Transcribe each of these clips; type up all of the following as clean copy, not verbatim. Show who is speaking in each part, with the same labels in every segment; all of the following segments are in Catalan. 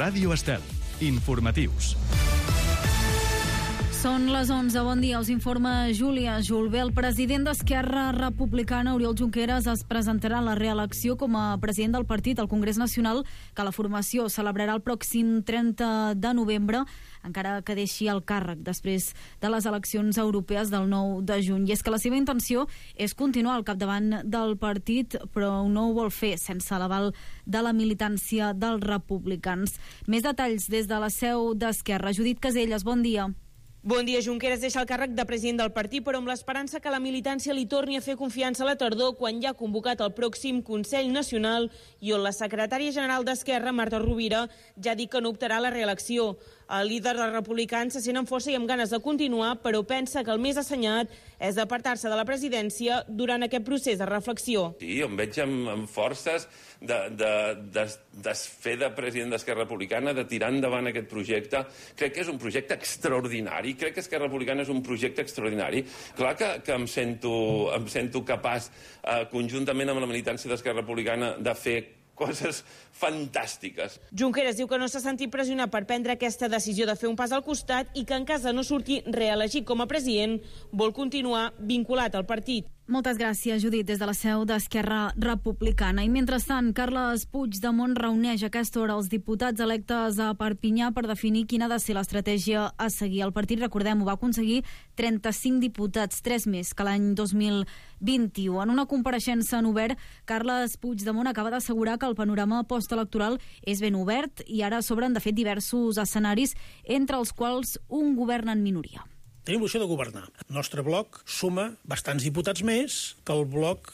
Speaker 1: Ràdio Estel. Informatius.
Speaker 2: Són les 11, bon dia, us informa Júlia Julbé. El president d'Esquerra Republicana, Oriol Junqueras, es presentarà a la reelecció com a president del partit al Congrés Nacional, que la formació celebrarà el pròxim 30 de novembre, encara que deixi el càrrec després de les eleccions europees del 9 de juny. I és que la seva intenció és continuar al capdavant del partit, però no ho vol fer sense l'aval de la militància dels republicans. Més detalls des de la seu d'Esquerra. Judit Caselles, bon dia.
Speaker 3: Bon dia. Junqueras deixa el càrrec de president del partit, però amb l'esperança que la militància li torni a fer confiança a la tardor, quan ja ha convocat el pròxim Consell Nacional i on la secretària general d'Esquerra, Marta Rovira, ja ha dit que no optarà a la reelecció. El líder dels republicans se sent amb força i amb ganes de continuar, però pensa que el més assenyat és apartar-se de la presidència durant aquest procés de reflexió.
Speaker 4: Sí, em veig amb forces de fer de president d'Esquerra Republicana, de tirar endavant aquest projecte. Crec que és un projecte extraordinari. Crec que Esquerra Republicana és un projecte extraordinari. Clar que em sento capaç, conjuntament amb la militància d'Esquerra Republicana, de fer coses fantàstiques.
Speaker 3: Junqueras diu que no s'ha sentit pressionat per prendre aquesta decisió de fer un pas al costat i que en cas de no sortir reelegit com a president vol continuar vinculat al partit.
Speaker 2: Moltes gràcies, Judit, des de la seu d'Esquerra Republicana. I mentrestant, Carles Puigdemont reuneix a aquesta hora els diputats electes a Perpinyà per definir quina ha de ser l'estratègia a seguir. El partit, recordem, ho va aconseguir 35 diputats, 3 més que l'any 2021. En una compareixença en obert, Carles Puigdemont acaba d'assegurar que el panorama postelectoral és ben obert i ara s'obren, de fet, diversos escenaris, entre els quals un govern en minoria.
Speaker 5: Tenim l'opció de governar. El nostre bloc suma bastants diputats més que el bloc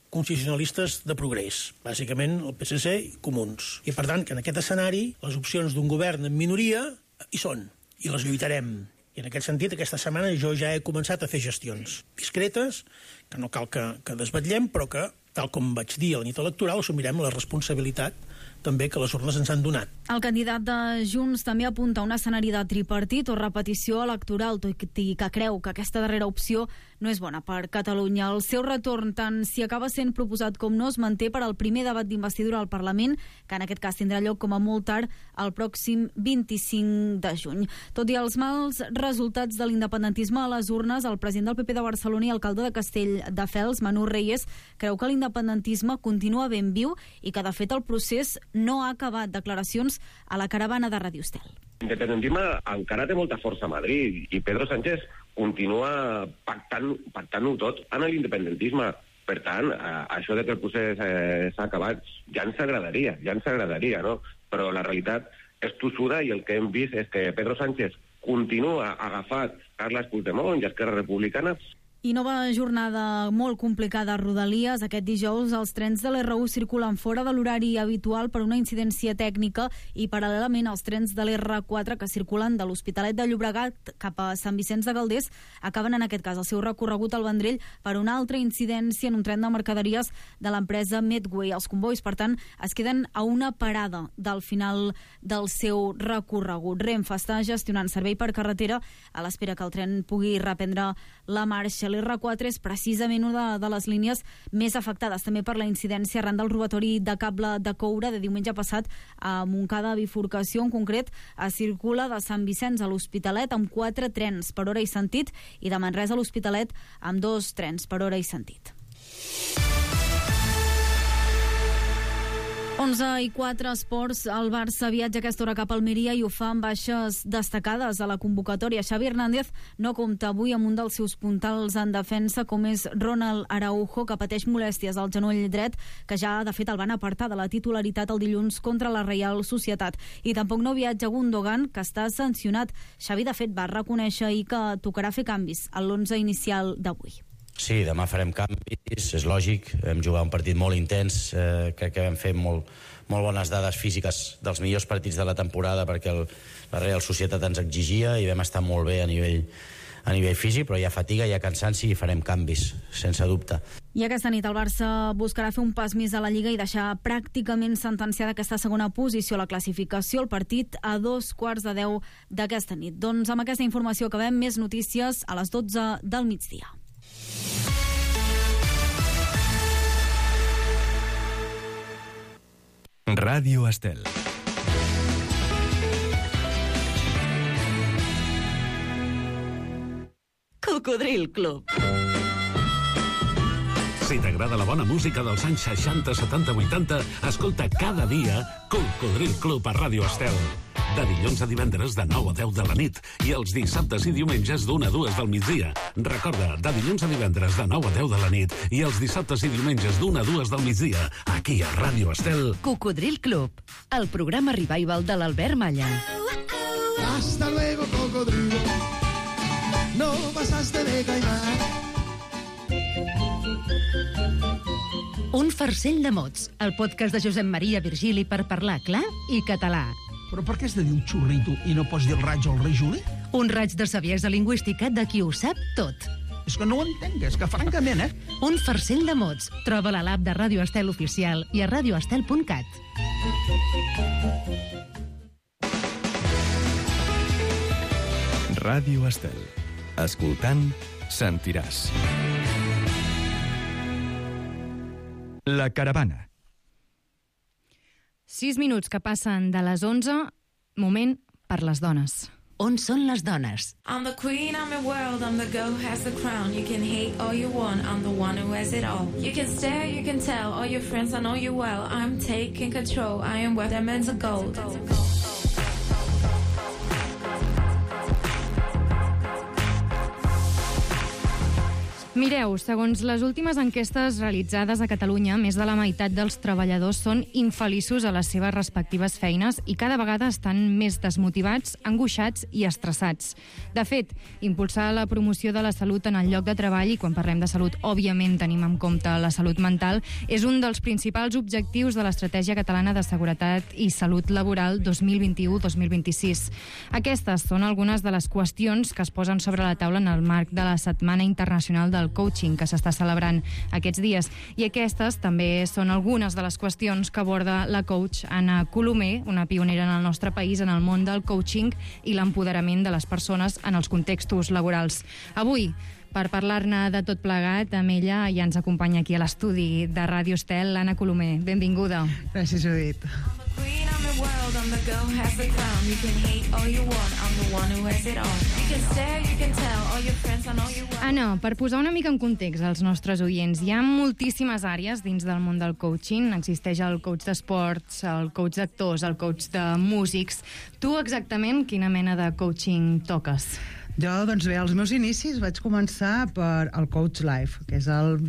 Speaker 5: constitucionalistes de progrés, bàsicament el PSC i Comuns. I per tant, que en aquest escenari les opcions d'un govern en minoria hi són, i les lluitarem. I en aquest sentit, aquesta setmana jo ja he començat a fer gestions discretes, que no cal que desvetllem, però que, tal com vaig dir a la nit electoral, assumirem la responsabilitat també que les urnes ens han donat.
Speaker 2: El candidat de Junts també apunta a un escenari de tripartit o repetició electoral, tot i que creu que aquesta darrera opció no és bona per Catalunya. El seu retorn, tant si acaba sent proposat com no, es manté per al primer debat d'investidura al Parlament, que en aquest cas tindrà lloc com a molt tard el pròxim 25 de juny. Tot i els mals resultats de l'independentisme a les urnes, el president del PP de Barcelona i alcalde de Castelldefels, Manu Reyes, creu que l'independentisme continua ben viu i que, de fet, el procés no ha acabat. Declaracions a la caravana de Ràdio Estel.
Speaker 6: L'independentisme encara té molta força a Madrid i Pedro Sánchez continua pactant-ho tot en l'independentisme. Per tant, això de que el procés s'ha acabat ja ens agradaria, no? Però la realitat és tossuda i el que hem vist és que Pedro Sánchez continua agafat Carles Puigdemont i Esquerra Republicana.
Speaker 2: I nova jornada molt complicada a Rodalies. Aquest dijous els trens de l'R1 circulen fora de l'horari habitual per una incidència tècnica i paral·lelament els trens de l'R4 que circulen de l'Hospitalet de Llobregat cap a Sant Vicenç de Calders acaben en aquest cas el seu recorregut al Vendrell per una altra incidència en un tren de mercaderies de l'empresa Medway. Els convois, per tant, es queden a una parada del final del seu recorregut. Renfe està gestionant servei per carretera a l'espera que el tren pugui reprendre la marxa. L'R4 és precisament una de les línies més afectades també per la incidència arran del robatori de cable de coure de diumenge passat a Montcada bifurcació. En concret, es circula de Sant Vicenç a l'Hospitalet amb 4 trens per hora i sentit i de Manresa a l'Hospitalet amb 2 trens per hora i sentit. 11:04 esports. El Barça viatja a aquesta hora cap a Almeria i ho fa amb baixes destacades a la convocatòria. Xavi Hernández no compta avui amb un dels seus puntals en defensa, com és Ronald Araujo, que pateix molèsties al genoll dret, que ja de fet el van apartar de la titularitat el dilluns contra la Reial Societat. I tampoc no viatja Gundogan, que està sancionat. Xavi de fet va reconèixer ahir que tocarà fer canvis a l'11 inicial d'avui.
Speaker 7: Sí, demà farem canvis, és lògic, vam jugar un partit molt intens, crec que vam fer molt bones dades físiques dels millors partits de la temporada perquè la Real Societat ens exigia i vam estar molt bé a nivell físic, però hi ha fatiga, hi ha cansanci i farem canvis, sense dubte.
Speaker 2: I aquesta nit el Barça buscarà fer un pas més a la Lliga i deixar pràcticament sentenciada aquesta segona posició a la classificació, el partit a 9:15 d'aquesta nit. Doncs amb aquesta informació acabem. Més notícies a les 12 del migdia.
Speaker 1: Ràdio Estel.
Speaker 8: Cocodril Club.
Speaker 9: Si t'agrada la bona música dels anys 60, 70, 80, escolta cada dia Cocodril Club a Ràdio Estel. De dilluns a divendres de 9 a 10 de la nit i els dissabtes i diumenges d'1 a 2 del migdia. Recorda, de dilluns a divendres de 9 a 10 de la nit i els dissabtes i diumenges d'1 a 2 del migdia, aquí a Ràdio Estel.
Speaker 8: Cocodril Club, el programa revival de l'Albert Malla.
Speaker 10: Hasta luego, cocodrilo. No pasaste de caimán.
Speaker 8: Un farcell de mots, el podcast de Josep Maria Virgili per parlar clar i català.
Speaker 10: Però per què has de dir un xurrito i no pots dir el raig o el rei Juli?
Speaker 8: Un raig de saviesa lingüística de qui ho sap tot.
Speaker 10: És que no ho entenc, és que francament,
Speaker 8: Un farcell de mots. Troba-la a l'app de Ràdio Estel Oficial i a radioestel.cat.
Speaker 1: Ràdio Estel. Escoltant, sentiràs. La caravana.
Speaker 2: 6 minuts que passen de les 11, moment per les dones.
Speaker 8: On són les dones?
Speaker 11: I'm the queen, I'm your world, I'm the girl who has the crown. You can hate all you want, I'm the one who has it all. You can stare, you can tell, all your friends, I know you well. I'm taking control, I am worth diamonds of gold.
Speaker 2: Mireu, segons les últimes enquestes realitzades a Catalunya, més de la meitat dels treballadors són infeliços a les seves respectives feines i cada vegada estan més desmotivats, angoixats i estressats. De fet, impulsar la promoció de la salut en el lloc de treball, i quan parlem de salut, òbviament tenim en compte la salut mental, és un dels principals objectius de l'Estratègia Catalana de Seguretat i Salut Laboral 2021-2026. Aquestes són algunes de les qüestions que es posen sobre la taula en el marc de la Setmana Internacional del Coaching que s'està celebrant aquests dies. I aquestes també són algunes de les qüestions que aborda la coach Anna Colomer, una pionera en el nostre país en el món del coaching i l'empoderament de les persones en els contextos laborals. Avui, per parlar-ne de tot plegat, amb ella ja ens acompanya aquí a l'estudi de Ràdio Estel, l'Anna Colomer. Benvinguda.
Speaker 12: Gràcies, Judit.
Speaker 11: I'm the girl who has the crown. You can hate all you want, I'm the one who has it all. You can stare, you can tell, all your friends, I know you well.
Speaker 2: Anna, per posar una mica en context als nostres oients, hi ha moltíssimes àrees dins del món del coaching. Existeix el coach d'esports, el coach d'actors, el coach de músics. Tu exactament quina mena de coaching toques?
Speaker 12: Jo, doncs bé, als meus inicis vaig començar per el Coach Life, que és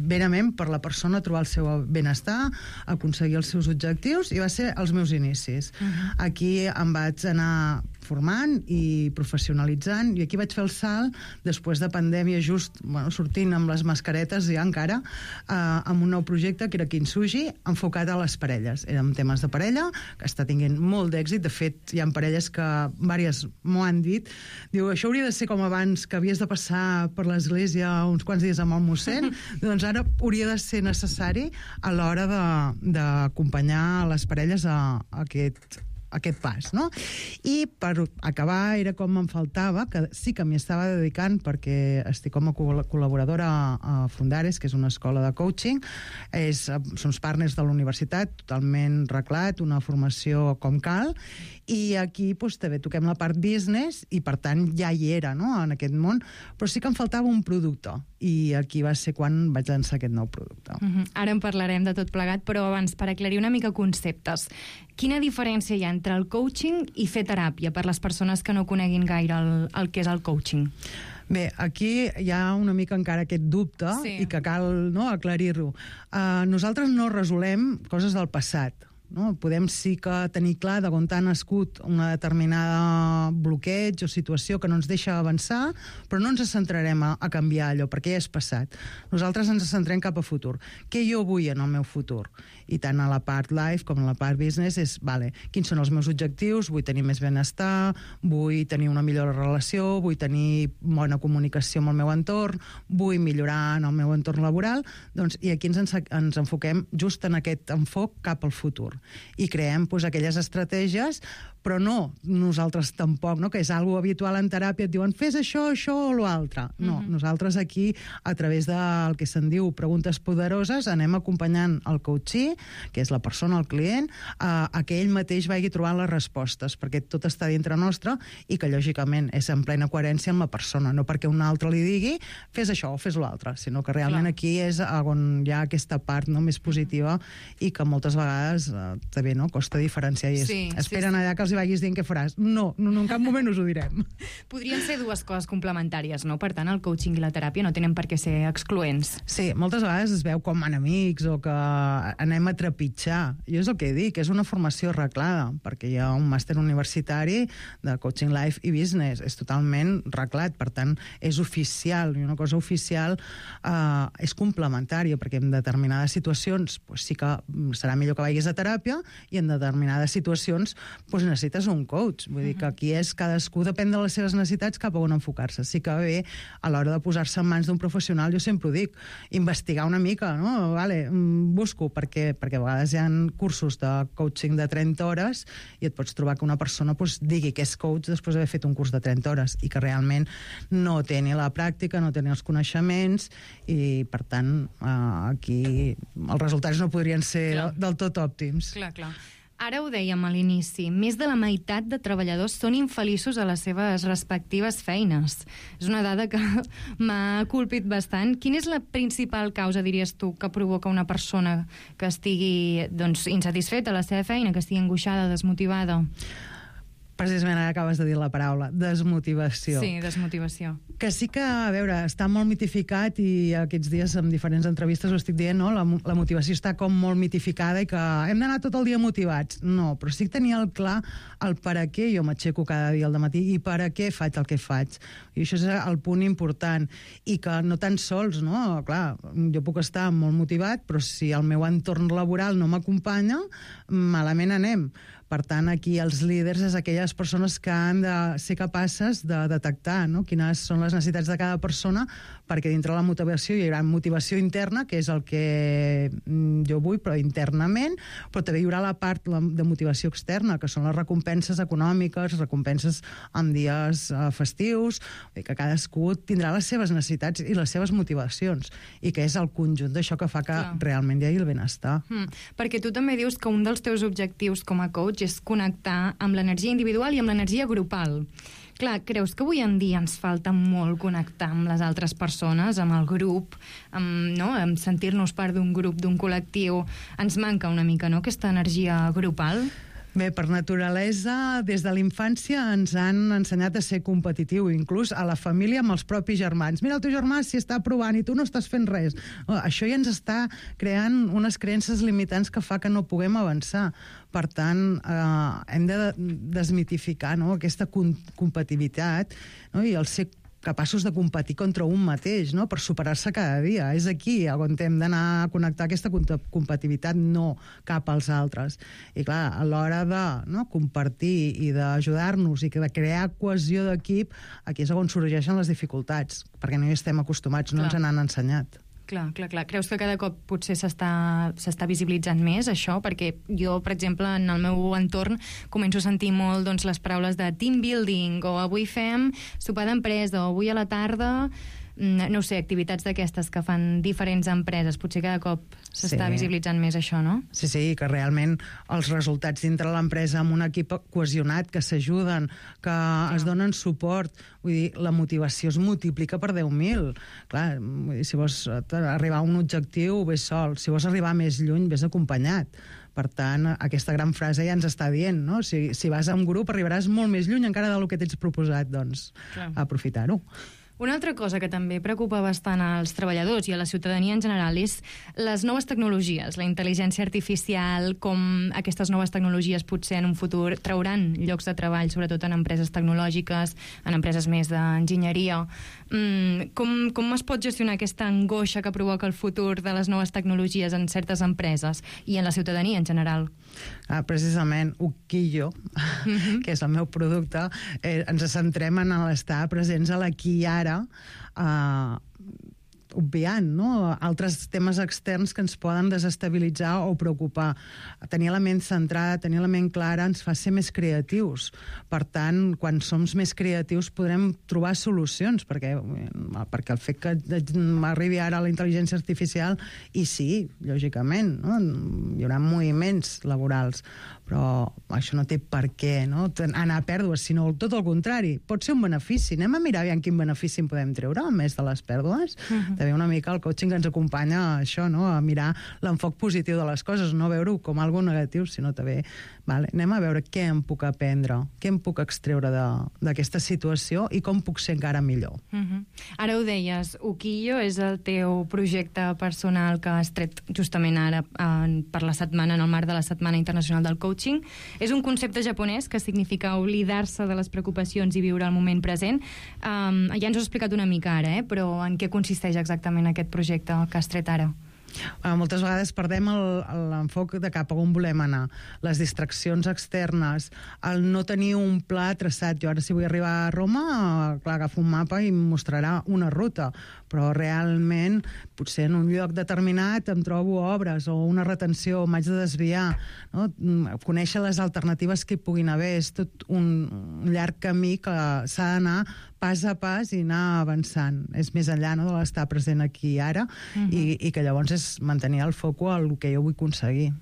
Speaker 12: verament per la persona trobar el seu benestar, aconseguir els seus objectius, i va ser els meus inicis. Aquí em vaig anar formant i professionalitzant, i aquí vaig fer el salt després de pandèmia, just sortint amb les mascaretes ja encara, amb un nou projecte que era Kintsugi, enfocat a les parelles. Eren temes de parella, que està tinguent molt d'èxit. De fet, hi ha parelles que vàries m'ho han dit. Diu, això hauria de ser com abans, que havies de passar per l'església uns quants dies amb el mossèn, doncs ara hauria de ser necessari a l'hora d'acompanyar les parelles a aquest pas, no? I per acabar era com em faltava, que sí que m'hi estava dedicant perquè estic com a col·laboradora a Fundares, que és una escola de coaching, som partners de la universitat, totalment reglat, una formació com cal, i aquí també toquem la part business i per tant ja hi era, no?, en aquest món, però sí que em faltava un producte, i aquí va ser quan vaig lançar aquest nou producte.
Speaker 2: Ara en parlarem de tot plegat, però abans, per aclarir una mica conceptes, quina diferència hi ha entre el coaching i fer teràpia per les persones que no coneguin gaire el que és el coaching?
Speaker 12: Bé, aquí hi ha una mica encara aquest dubte, i que cal aclarir-ho. Nosaltres no resolem coses del passat. Podem sí que tenir clar d'on ha nascut una determinada bloqueig o situació que no ens deixa avançar, però no ens centrarem a canviar allò, perquè ja és passat. Nosaltres ens centrem cap a futur. Què jo vull en el meu futur? I tant a la part life com a la part business és, quins són els meus objectius? Vull tenir més benestar, vull tenir una millor relació, vull tenir bona comunicació amb el meu entorn, vull millorar en el meu entorn laboral, i aquí ens enfoquem just en aquest enfoc cap al futur. I creem aquelles estratègies, però no nosaltres tampoc, no? Que és algo habitual en teràpia, et diuen fes això o l'altre. No, nosaltres aquí, a través del que se'n diu preguntes poderoses, anem acompanyant el coachee, que és la persona, el client, a que ell mateix vagi trobant les respostes, perquè tot està dintre nostre i que, lògicament, és en plena coherència amb la persona, no perquè un altre li digui fes això o fes l'altre, sinó que realment aquí és on hi ha aquesta part més positiva i que moltes vegades també costa diferenciar i esperen allà que els hi vagis dient què faràs. No, en cap moment us ho direm.
Speaker 13: Podrien ser dues coses complementàries, no? Per tant, el coaching i la teràpia no tenen per què ser excloents.
Speaker 12: Sí, moltes vegades es veu com enemics o que anem a trepitjar. Jo és el que dic, és una formació reglada, perquè hi ha un màster universitari de coaching life i business. És totalment reglat, per tant, és oficial. I una cosa oficial és complementària, perquè en determinades situacions sí que serà millor que vagis a teràpia i en determinades situacions necessites un coach. Vull dir que aquí és cadascú depèn de les seves necessitats cap a on enfocar-se. Sí que bé, a l'hora de posar-se en mans d'un professional, jo sempre ho dic, investigar una mica, no? Busco, perquè a vegades hi ha cursos de coaching de 30 hores i et pots trobar que una persona digui que és coach després d'haver fet un curs de 30 hores i que realment no té ni la pràctica, no té ni els coneixements i, per tant, aquí els resultats no podrien ser del tot òptims.
Speaker 13: Clar. Ara ho dèiem a l'inici, més de la meitat de treballadors són infeliços a les seves respectives feines. És una dada que m'ha colpit bastant. Quina és la principal causa, diries tu, que provoca una persona que estigui insatisfeta a la seva feina, que estigui angoixada, desmotivada?
Speaker 12: Precisament ara acabes de dir la paraula, desmotivació.
Speaker 13: Sí, desmotivació.
Speaker 12: Que sí que, a veure, està molt mitificat i aquests dies en diferents entrevistes ho estic dient, no? La motivació està com molt mitificada i que hem d'anar tot el dia motivats. No, però sí que tenia clar el per a què jo m'aixeco cada dia al dematí i per a què faig el que faig. I això és el punt important. I que no tan sols, no? Clar, jo puc estar molt motivat, però si el meu entorn laboral no m'acompanya, malament anem. Per tant, aquí els líders és aquelles persones que han de ser capaces de detectar quines són les necessitats de cada persona, perquè dintre la motivació hi haurà motivació interna, que és el que jo vull, però internament, però també hi haurà la part de motivació externa, que són les recompenses econòmiques, recompenses en dies festius, que cadascú tindrà les seves necessitats i les seves motivacions, i que és el conjunt d'això que fa que realment hi hagi el benestar.
Speaker 13: Perquè tu també dius que un dels teus objectius com a coach és connectar amb l'energia individual i amb l'energia grupal. Clar, creus que avui en dia ens falta molt connectar amb les altres persones, amb el grup, amb sentir-nos part d'un grup, d'un col·lectiu? Ens manca una mica, no?, aquesta energia grupal?
Speaker 12: Bé, per naturalesa, des de la infància ens han ensenyat a ser competitiu, inclús a la família amb els propis germans. Mira, el teu germà s'hi està provant i tu no estàs fent res. Això ja ens està creant unes creences limitants que fa que no puguem avançar. Per tant, hem de desmitificar aquesta competitivitat i el ser capaços de competir contra un mateix, per superar-se cada dia. És aquí on hem d'anar a connectar aquesta competitivitat, no cap als altres. I clar, a l'hora de compartir i d'ajudar-nos i de crear cohesió d'equip, aquí és on sorgeixen les dificultats, perquè no hi estem acostumats, no ens n'han ensenyat.
Speaker 13: Clar. Creus que cada cop potser s'està visibilitzant més això? Perquè jo, per exemple, en el meu entorn començo a sentir molt les paraules de team building, o avui fem sopar d'empresa, o avui a la tarda, no ho sé, activitats d'aquestes que fan diferents empreses. Potser cada cop s'està visibilitzant més això, no?
Speaker 12: Sí, que realment els resultats dintre l'empresa amb un equip cohesionat, que s'ajuden, que es donen suport, vull dir, la motivació es multiplica per 10.000. Clar, si vols arribar a un objectiu, ves sol. Si vols arribar més lluny, ves acompanyat. Per tant, aquesta gran frase ja ens està dient, no? Si vas a un grup arribaràs molt més lluny encara del que t'ets proposat, doncs aprofitar-ho.
Speaker 13: Una altra cosa que també preocupa bastant als treballadors i a la ciutadania en general és les noves tecnologies, la intel·ligència artificial, com aquestes noves tecnologies potser en un futur trauran llocs de treball, sobretot en empreses tecnològiques, en empreses més d'enginyeria. Com es pot gestionar aquesta angoixa que provoca el futur de les noves tecnologies en certes empreses i en la ciutadania en general?
Speaker 12: Precisament, Uquillo, que és el meu producte, ens centrem en l'estar presents a l'aquí i ara, obviant, no? Altres temes externs que ens poden desestabilitzar o preocupar. Tenir la ment centrada, tenir la ment clara ens fa ser més creatius. Per tant, quan som més creatius podrem trobar solucions, perquè el fet que arribi ara la intel·ligència artificial, i sí, lògicament, no? Hi haurà moviments laborals, però això no té per què, no? Anar a pèrdues, sinó tot el contrari. Pot ser un benefici. Anem a mirar aviam quin benefici en podem treure, a més de les pèrdues. També una mica el coaching ens acompanya a això, no? A mirar l'enfoc positiu de les coses, no veure-ho com algo negatiu, sinó també, vale, anem a veure què em puc aprendre, què em puc extreure d'aquesta situació i com puc ser encara millor.
Speaker 13: Ara ho deies, Ukiyo és el teu projecte personal que has tret justament ara per la setmana, en el marc de la Setmana Internacional del Coaching. És un concepte japonès que significa oblidar-se de les preocupacions i viure el moment present. Ja ens ho has explicat una mica ara, però en què consisteix exactament aquest projecte que has tret ara?
Speaker 12: Moltes vegades perdem l'enfoc de cap a on volem anar. Les distraccions externes, el no tenir un pla traçat. Jo ara si vull arribar a Roma, clar, agafo un mapa i em mostrarà una ruta, però realment potser en un lloc determinat em trobo obres o una retenció, m'haig de desviar, no? Conèixer les alternatives que hi puguin haver. És tot un llarg camí que s'ha d'anar pas a pas i anar avançant. És més enllà, no?, de l'estar present aquí i ara, i que llavors és mantenir el foco al que jo vull aconseguir.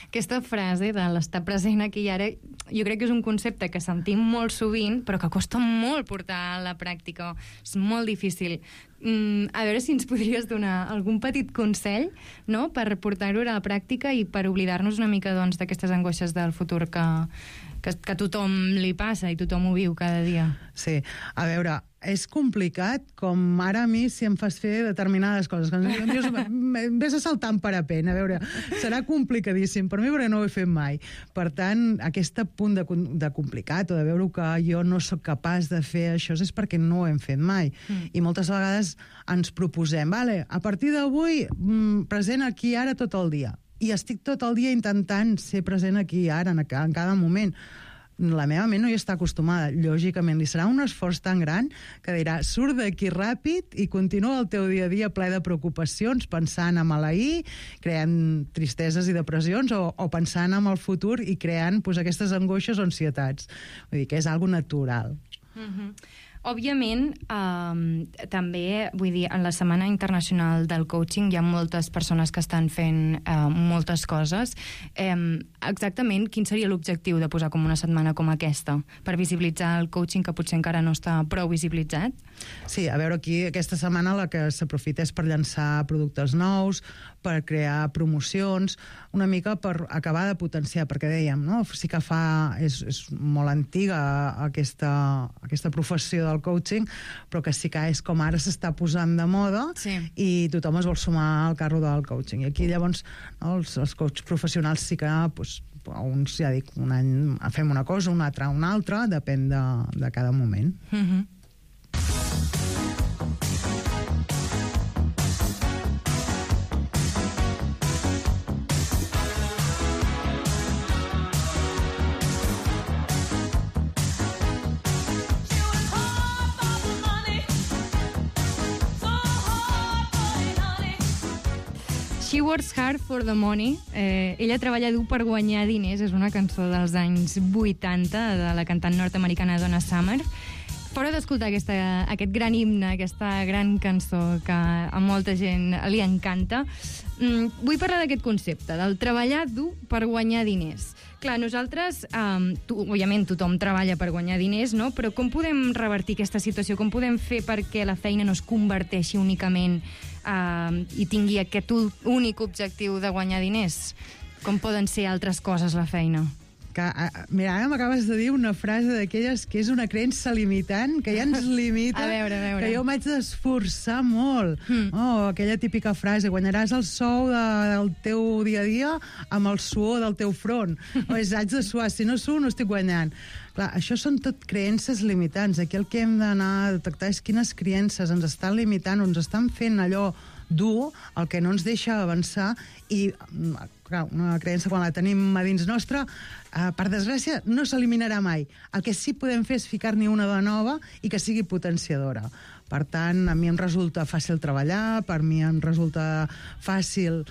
Speaker 13: Aquesta frase de l'estar present aquí i ara, jo crec que és un concepte que sentim molt sovint, però que costa molt portar a la pràctica. És molt difícil. A veure si ens podries donar algun petit consell, no?, per portar-ho a la pràctica i per oblidar-nos una mica, doncs, d'aquestes angoixes del futur que tothom li passa i tothom ho viu cada dia.
Speaker 12: Sí, a veure, és complicat, com ara a mi si em fas fer determinades coses. Dius, vés a saltar en parapent, a veure, serà complicadíssim per mi perquè no ho he fet mai. Per tant, aquest punt de complicat o de veure que jo no sóc capaç de fer això és perquè no ho hem fet mai. I moltes vegades ens proposem, vale, a partir d'avui present aquí ara tot el dia. I estic tot el dia intentant ser present aquí ara, en cada moment. La meva ment no hi està acostumada. Lògicament, li serà un esforç tan gran que dirà, surt d'aquí ràpid i continua el teu dia a dia ple de preocupacions, pensant en l'ahir, creant tristeses i depressions, o pensant en el futur i creant aquestes angoixes o ansietats. Vull dir que és algo natural.
Speaker 13: Òbviament, també, vull dir, en la Setmana Internacional del Coaching hi ha moltes persones que estan fent moltes coses. Exactament, quin seria l'objectiu de posar com una setmana com aquesta? Per visibilitzar el coaching que potser encara no està prou visibilitzat?
Speaker 12: Sí, a veure, aquí aquesta setmana la que s'aprofita és per llançar productes nous, per crear promocions, una mica per acabar de potenciar, perquè dèiem, no? Sí que és molt antiga aquesta professió del coaching, però que sí que és com ara s'està posant de moda, sí, i tothom es vol sumar al carro del coaching. I aquí llavors els coaches professionals sí que uns, ja dic, un any fem una cosa, un altre una altra, depèn de cada moment.
Speaker 13: She Works Hard for the Money. Ella treballa dur per guanyar diners. És una cançó dels anys 80 de la cantant nord-americana Donna Summer. Fora d'escoltar aquest gran himne, aquesta gran cançó que a molta gent li encanta, vull parlar d'aquest concepte, del treballar dur per guanyar diners. Clar, nosaltres, òbviament tothom treballa per guanyar diners, no? Però com podem revertir aquesta situació? Com podem fer perquè la feina no es converteixi únicament i tingui aquest únic objectiu de guanyar diners? Com poden ser altres coses la feina?
Speaker 12: Mira, ara m'acabes de dir una frase d'aquelles que és una creença limitant, que ja ens limita,
Speaker 13: a veure.
Speaker 12: Que jo m'haig d'esforçar molt. Aquella típica frase, guanyaràs el sou del teu dia a dia amb el suor del teu front. Haig de suar, si no suo no estic guanyant. Clar, això són tot creences limitants. Aquí el que hem d'anar a detectar és quines creences ens estan limitant o ens estan fent allò dur, el que no ens deixa avançar, i clar, una creença quan la tenim a dins nostra, per desgràcia, no s'eliminarà mai. El que sí podem fer és ficar-n'hi una de nova i que sigui potenciadora. Per tant, a mi em resulta fàcil treballar, per mi em resulta fàcil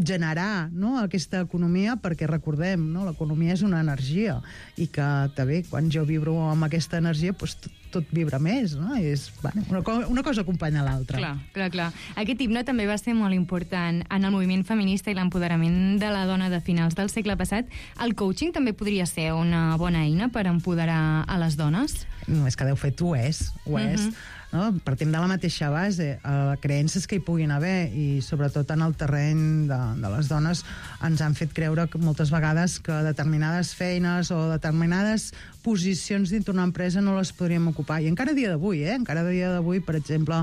Speaker 12: generar, no?, aquesta economia, perquè recordem, no?, l'economia és una energia i que també quan jo vibro amb aquesta energia doncs tot vibra més, no? I és, bueno, una cosa acompanya l'altra.
Speaker 13: Clar. Aquest himne també va ser molt important en el moviment feminista i l'empoderament de la dona de finals del segle passat. El coaching també podria ser una bona eina per empoderar a les dones?
Speaker 12: No, és que deu fet ho és. No? Partim de la mateixa base, creences que hi puguin haver i sobretot en el terreny de les dones ens han fet creure que moltes vegades que determinades feines o determinades posicions dintre una empresa no les podríem ocupar, i encara a dia d'avui, per exemple,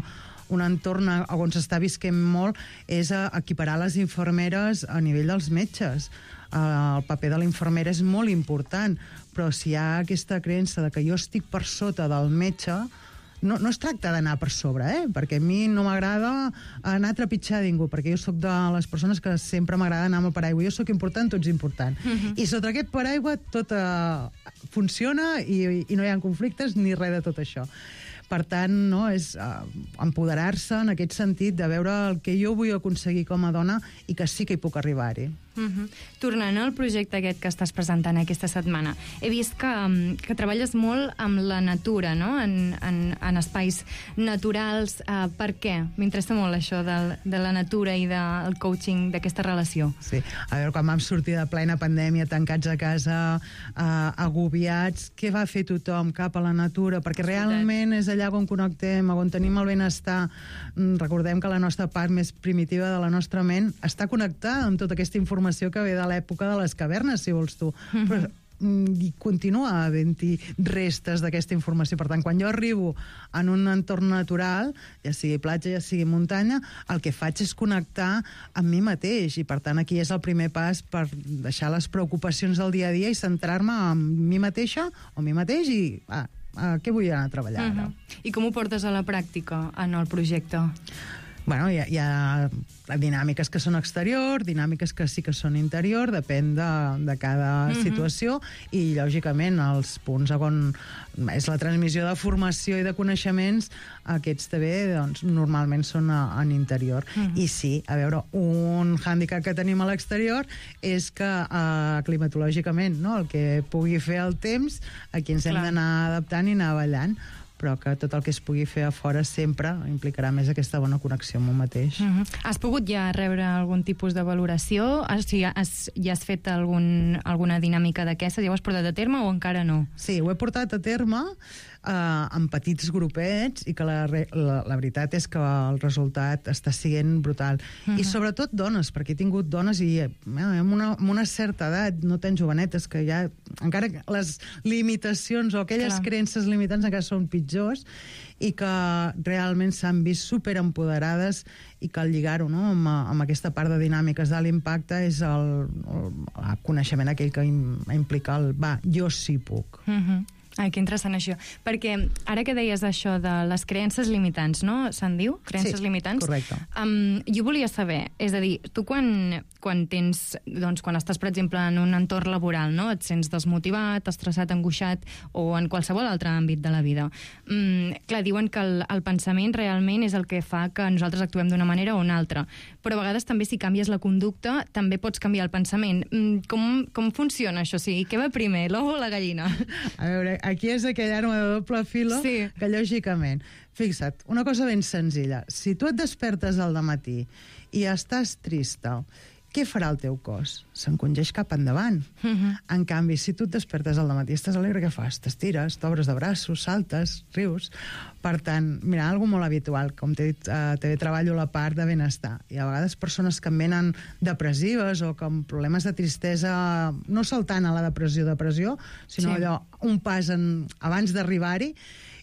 Speaker 12: un entorn on s'està visquent molt és equiparar les infermeres a nivell dels metges. El paper de la infermera és molt important, però si hi ha aquesta creença de que jo estic per sota del metge, no es tracta d'anar per sobre, perquè a mi no m'agrada anar a trepitjar ningú, perquè jo sóc de les persones que sempre m'agrada anar amb el paraigua. Jo sóc important, tu ets important. I sota aquest paraigua tot funciona i no hi ha conflictes ni res de tot això. Per tant, no, és empoderar-se en aquest sentit de veure el que jo vull aconseguir com a dona i que sí que hi puc arribar-hi.
Speaker 13: Tornant al projecte aquest que estàs presentant aquesta setmana, he vist que treballes molt amb la natura, no?, en espais naturals. Per què? M'interessa molt això de la natura i del coaching, d'aquesta relació.
Speaker 12: Sí, a veure, quan vam sortir de plena pandèmia, tancats a casa, agobiats, què va fer tothom? Cap a la natura, perquè realment és allà on connectem, on tenim el benestar. Recordem que la nostra part més primitiva de la nostra ment està connectada amb tota aquesta informació que ve de l'època de les cavernes, si vols tu. Però i continua havent-hi restes d'aquesta informació. Per tant, quan jo arribo en un entorn natural, ja sigui platja, ja sigui muntanya, el que faig és connectar amb mi mateix, i per tant aquí és el primer pas per deixar les preocupacions del dia a dia i centrar-me en mi mateixa o mi mateix i què vull anar a treballar ara.
Speaker 13: I com ho portes a la pràctica en el projecte?
Speaker 12: Bueno, hi ha dinàmiques que són exterior, dinàmiques que sí que són interior, depèn de cada situació, i lògicament els punts on és la transmissió de formació i de coneixements, aquests també doncs, normalment són en interior. I sí, a veure, un hàndicap que tenim a l'exterior és que climatològicament, no, el que pugui fer el temps, aquí ens hem d'anar adaptant i anar ballant, però que tot el que es pugui fer a fora sempre implicarà més aquesta bona connexió amb un mateix.
Speaker 13: Has pogut ja rebre algun tipus de valoració? Ja has fet alguna dinàmica d'aquestes? Ja ho has portat a terme o encara no?
Speaker 12: Sí, ho he portat a terme en petits grupets i que la veritat és que el resultat està sent brutal. I sobretot dones, perquè he tingut dones i amb una certa edat, no tan jovenetes, que ja encara les limitacions o aquelles creences limitants encara són pitjors i que realment s'han vist superempoderades i que al lligar-ho amb aquesta part de dinàmiques de l'impacte és el coneixement aquell que implica el jo sí puc.
Speaker 13: Ai, que interessant això. Perquè ara que deies això de les creences limitants, no? Se'n diu? Creences limitants?
Speaker 12: Sí, correcte.
Speaker 13: Jo volia saber, és a dir, tu quan tens, doncs, quan estàs, per exemple, en un entorn laboral, no? Et sents desmotivat, estressat, angoixat, o en qualsevol altre àmbit de la vida. Clar, diuen que el pensament realment és el que fa que nosaltres actuem d'una manera o una altra. Però a vegades també si canvies la conducta, també pots canviar el pensament. Com funciona això? O sigui, què va primer, l'ou o la gallina?
Speaker 12: A veure, aquí és aquell arma de doble filo que, lògicament, fixa't, una cosa ben senzilla. Si tu et despertes al dematí i estàs trista, què farà el teu cos? S'encongeix cap endavant. En canvi, si tu et despertes al dematí i estàs alegre, què fas? T'estires, t'obres de braços, saltes, rius. Per tant, mira, algo molt habitual, com t'he dit, també treballo la part de benestar. I a vegades persones que em venen depressives o amb problemes de tristesa, no saltant a la depressió, sinó allò, un pas abans d'arribar-hi.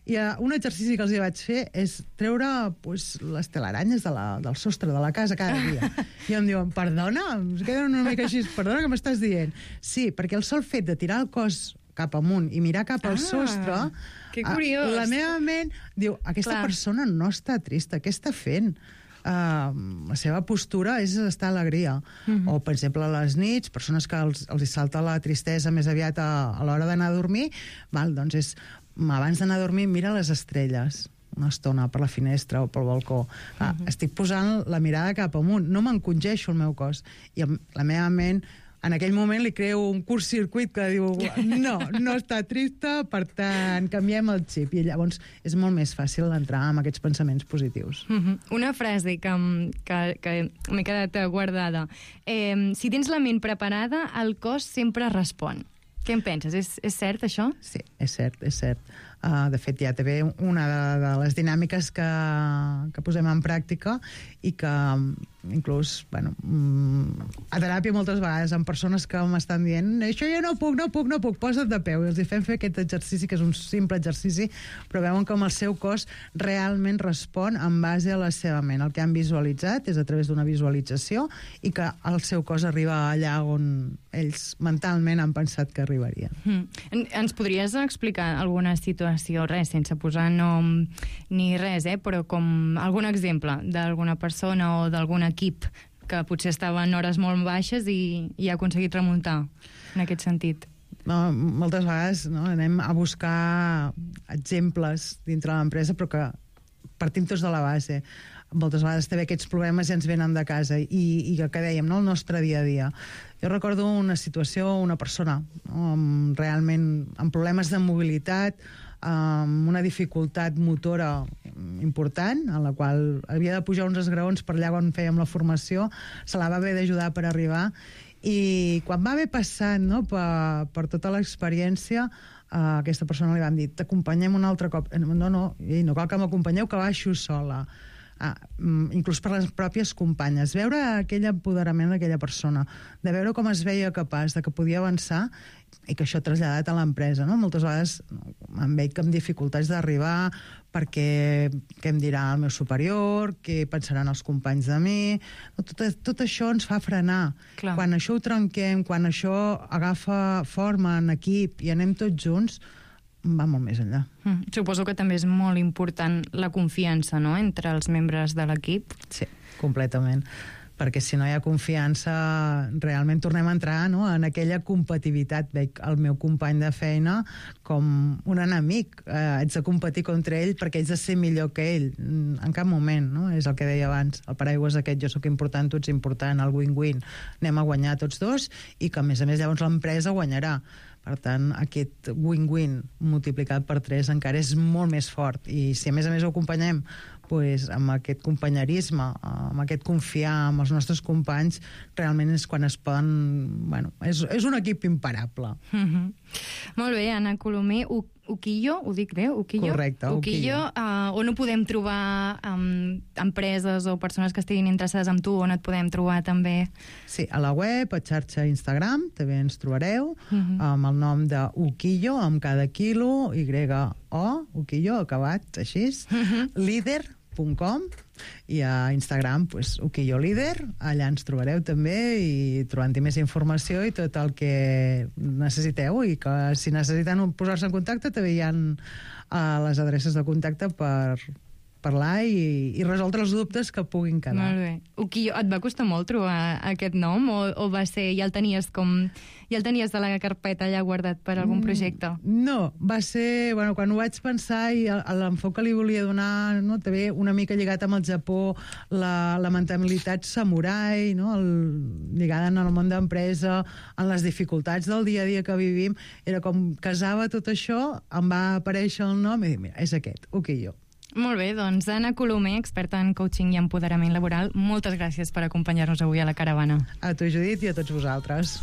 Speaker 12: I un exercici que els vaig fer és treure les telaranyes del sostre de la casa cada dia. I em diuen, perdona? Em queden una mica així, perdona, què m'estàs dient? Sí, perquè el sol fet de tirar el cos cap amunt i mirar cap al sostre,
Speaker 13: que curiós.
Speaker 12: La meva ment diu, aquesta persona no està trista, què està fent? La seva postura és estar a alegria. O, per exemple, a les nits, persones que els salta la tristesa més aviat a l'hora d'anar a dormir, doncs és abans d'anar a dormir, mira les estrelles. una estona per la finestra o pel balcó. Estic posant la mirada cap amunt, no m'encongeixo el meu cos. I la meva ment, en aquell moment li creo un curt-circuit que diu no està trista, per tant, canviem el xip. I llavors és molt més fàcil entrar en aquests pensaments positius.
Speaker 13: Una frase que m'he quedat guardada. Si tens la ment preparada, el cos sempre respon. Què en penses? És cert, això?
Speaker 12: Sí, és cert, és cert. De fet, ja també una de les dinàmiques que posem en pràctica i que inclús, bueno, a teràpia moltes vegades amb persones que m'estan dient això ja no puc, posa't de peu, i els fem fer aquest exercici, que és un simple exercici, però veuen com el seu cos realment respon en base a la seva ment. El que han visualitzat és a través d'una visualització i que el seu cos arriba allà on ells mentalment han pensat que arribarien.
Speaker 13: Ens podries explicar alguna situació, res, sense posar nom ni res, però com algun exemple d'alguna persona o d'algun equip que potser estava en hores molt baixes i ha aconseguit remuntar en aquest sentit?
Speaker 12: Moltes vegades anem a buscar exemples dintre de l'empresa, però que partim tots de la base. Moltes vegades també aquests problemes ja ens venen de casa i que dèiem, el nostre dia a dia. Jo recordo una situació, una persona realment amb problemes de mobilitat, amb una dificultat motora important, en la qual havia de pujar uns esgraons per allà on fèiem la formació, se la va haver d'ajudar per arribar, i quan va haver passat per tota l'experiència, aquesta persona li van dir, t'acompanyem un altre cop. No cal que m'acompanyeu, que baixo sola. Inclús per les pròpies companyes, veure aquell empoderament d'aquella persona, de veure com es veia capaç, de que podia avançar, i que això ha traslladat a l'empresa. Moltes vegades em veig amb dificultats d'arribar perquè què em dirà el meu superior, què pensaran els companys de mi. Tot això ens fa frenar. Clar. Quan això ho trenquem, quan això agafa forma en equip i anem tots junts, va molt més enllà.
Speaker 13: Suposo que també és molt important la confiança, no?, entre els membres de l'equip.
Speaker 12: Sí, completament. Perquè si no hi ha confiança, realment tornem a entrar en aquella competitivitat. Veig el meu company de feina com un enemic. Haig de competir contra ell perquè haig de ser millor que ell. En cap moment, no? És el que deia abans. El paraigua és aquest, jo sóc important, tu ets important, el win-win. Anem a guanyar tots dos i que, a més llavors l'empresa guanyarà. Per tant, aquest win-win multiplicat per 3 encara és molt més fort. I si a més ho acompanyem amb aquest companyerisme, amb aquest confiar en els nostres companys, realment és quan es poden... és un equip imparable.
Speaker 13: Molt bé, Anna Colomer. Ukiyo, ho dic bé? Ukiyo?
Speaker 12: Correcte,
Speaker 13: Ukiyo. On ho podem trobar, empreses o persones que estiguin interessades en tu, on et podem trobar també?
Speaker 12: Sí, a la web, a xarxa Instagram, també ens trobareu, amb el nom de Ukiyo, amb cada quilo, Y-O, Ukiyo, acabat així, líder.com, i a Instagram, Ukiyo Líder, allà ens trobareu també i trobant-hi més informació i tot el que necessiteu, i que si necessiten posar-se en contacte també hi ha les adreces de contacte per parlar i resoldre els dubtes que puguin quedar.
Speaker 13: Molt bé. Ukiyo, et va costar molt trobar aquest nom o va ser, ja el tenies de la carpeta allà guardat per algun projecte?
Speaker 12: No, va ser, quan ho vaig pensar i l'enfoc que li volia donar, també una mica lligat amb el Japó, la mentalitat samurai, lligada en el món d'empresa, en les dificultats del dia a dia que vivim, era com casava tot això, em va aparèixer el nom i dic, mira, és aquest, Ukiyo.
Speaker 13: Molt bé, doncs Anna Colomer, experta en coaching i empoderament laboral, moltes gràcies per acompanyar-nos avui a la Caravana.
Speaker 12: A tu, Judit, i a tots vosaltres.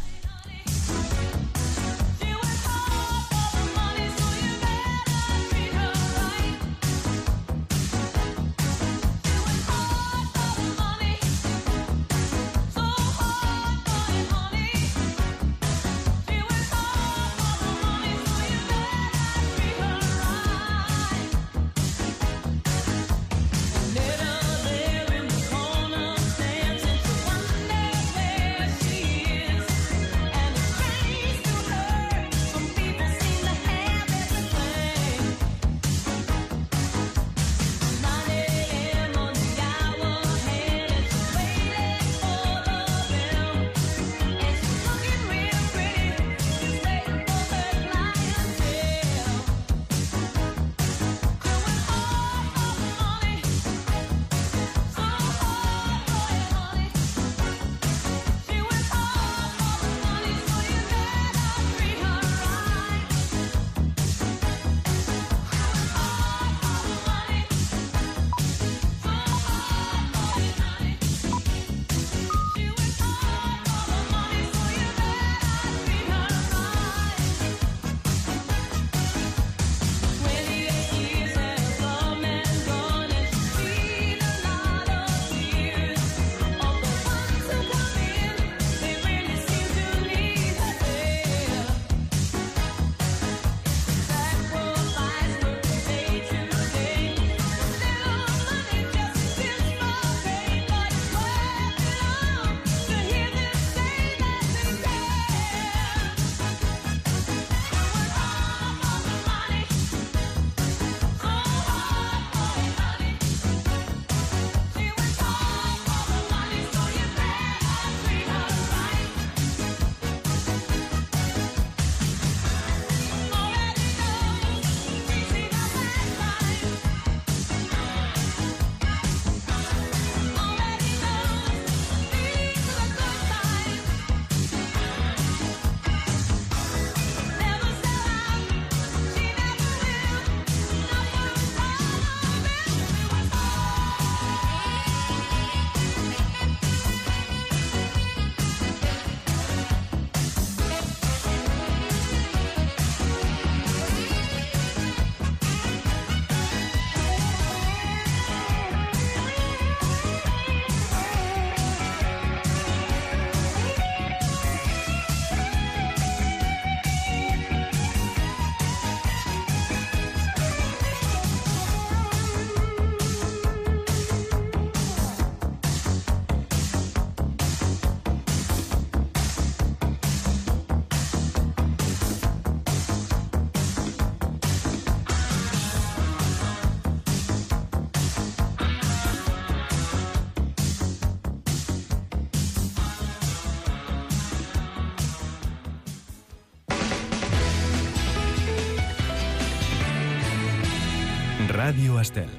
Speaker 1: Radio Estel.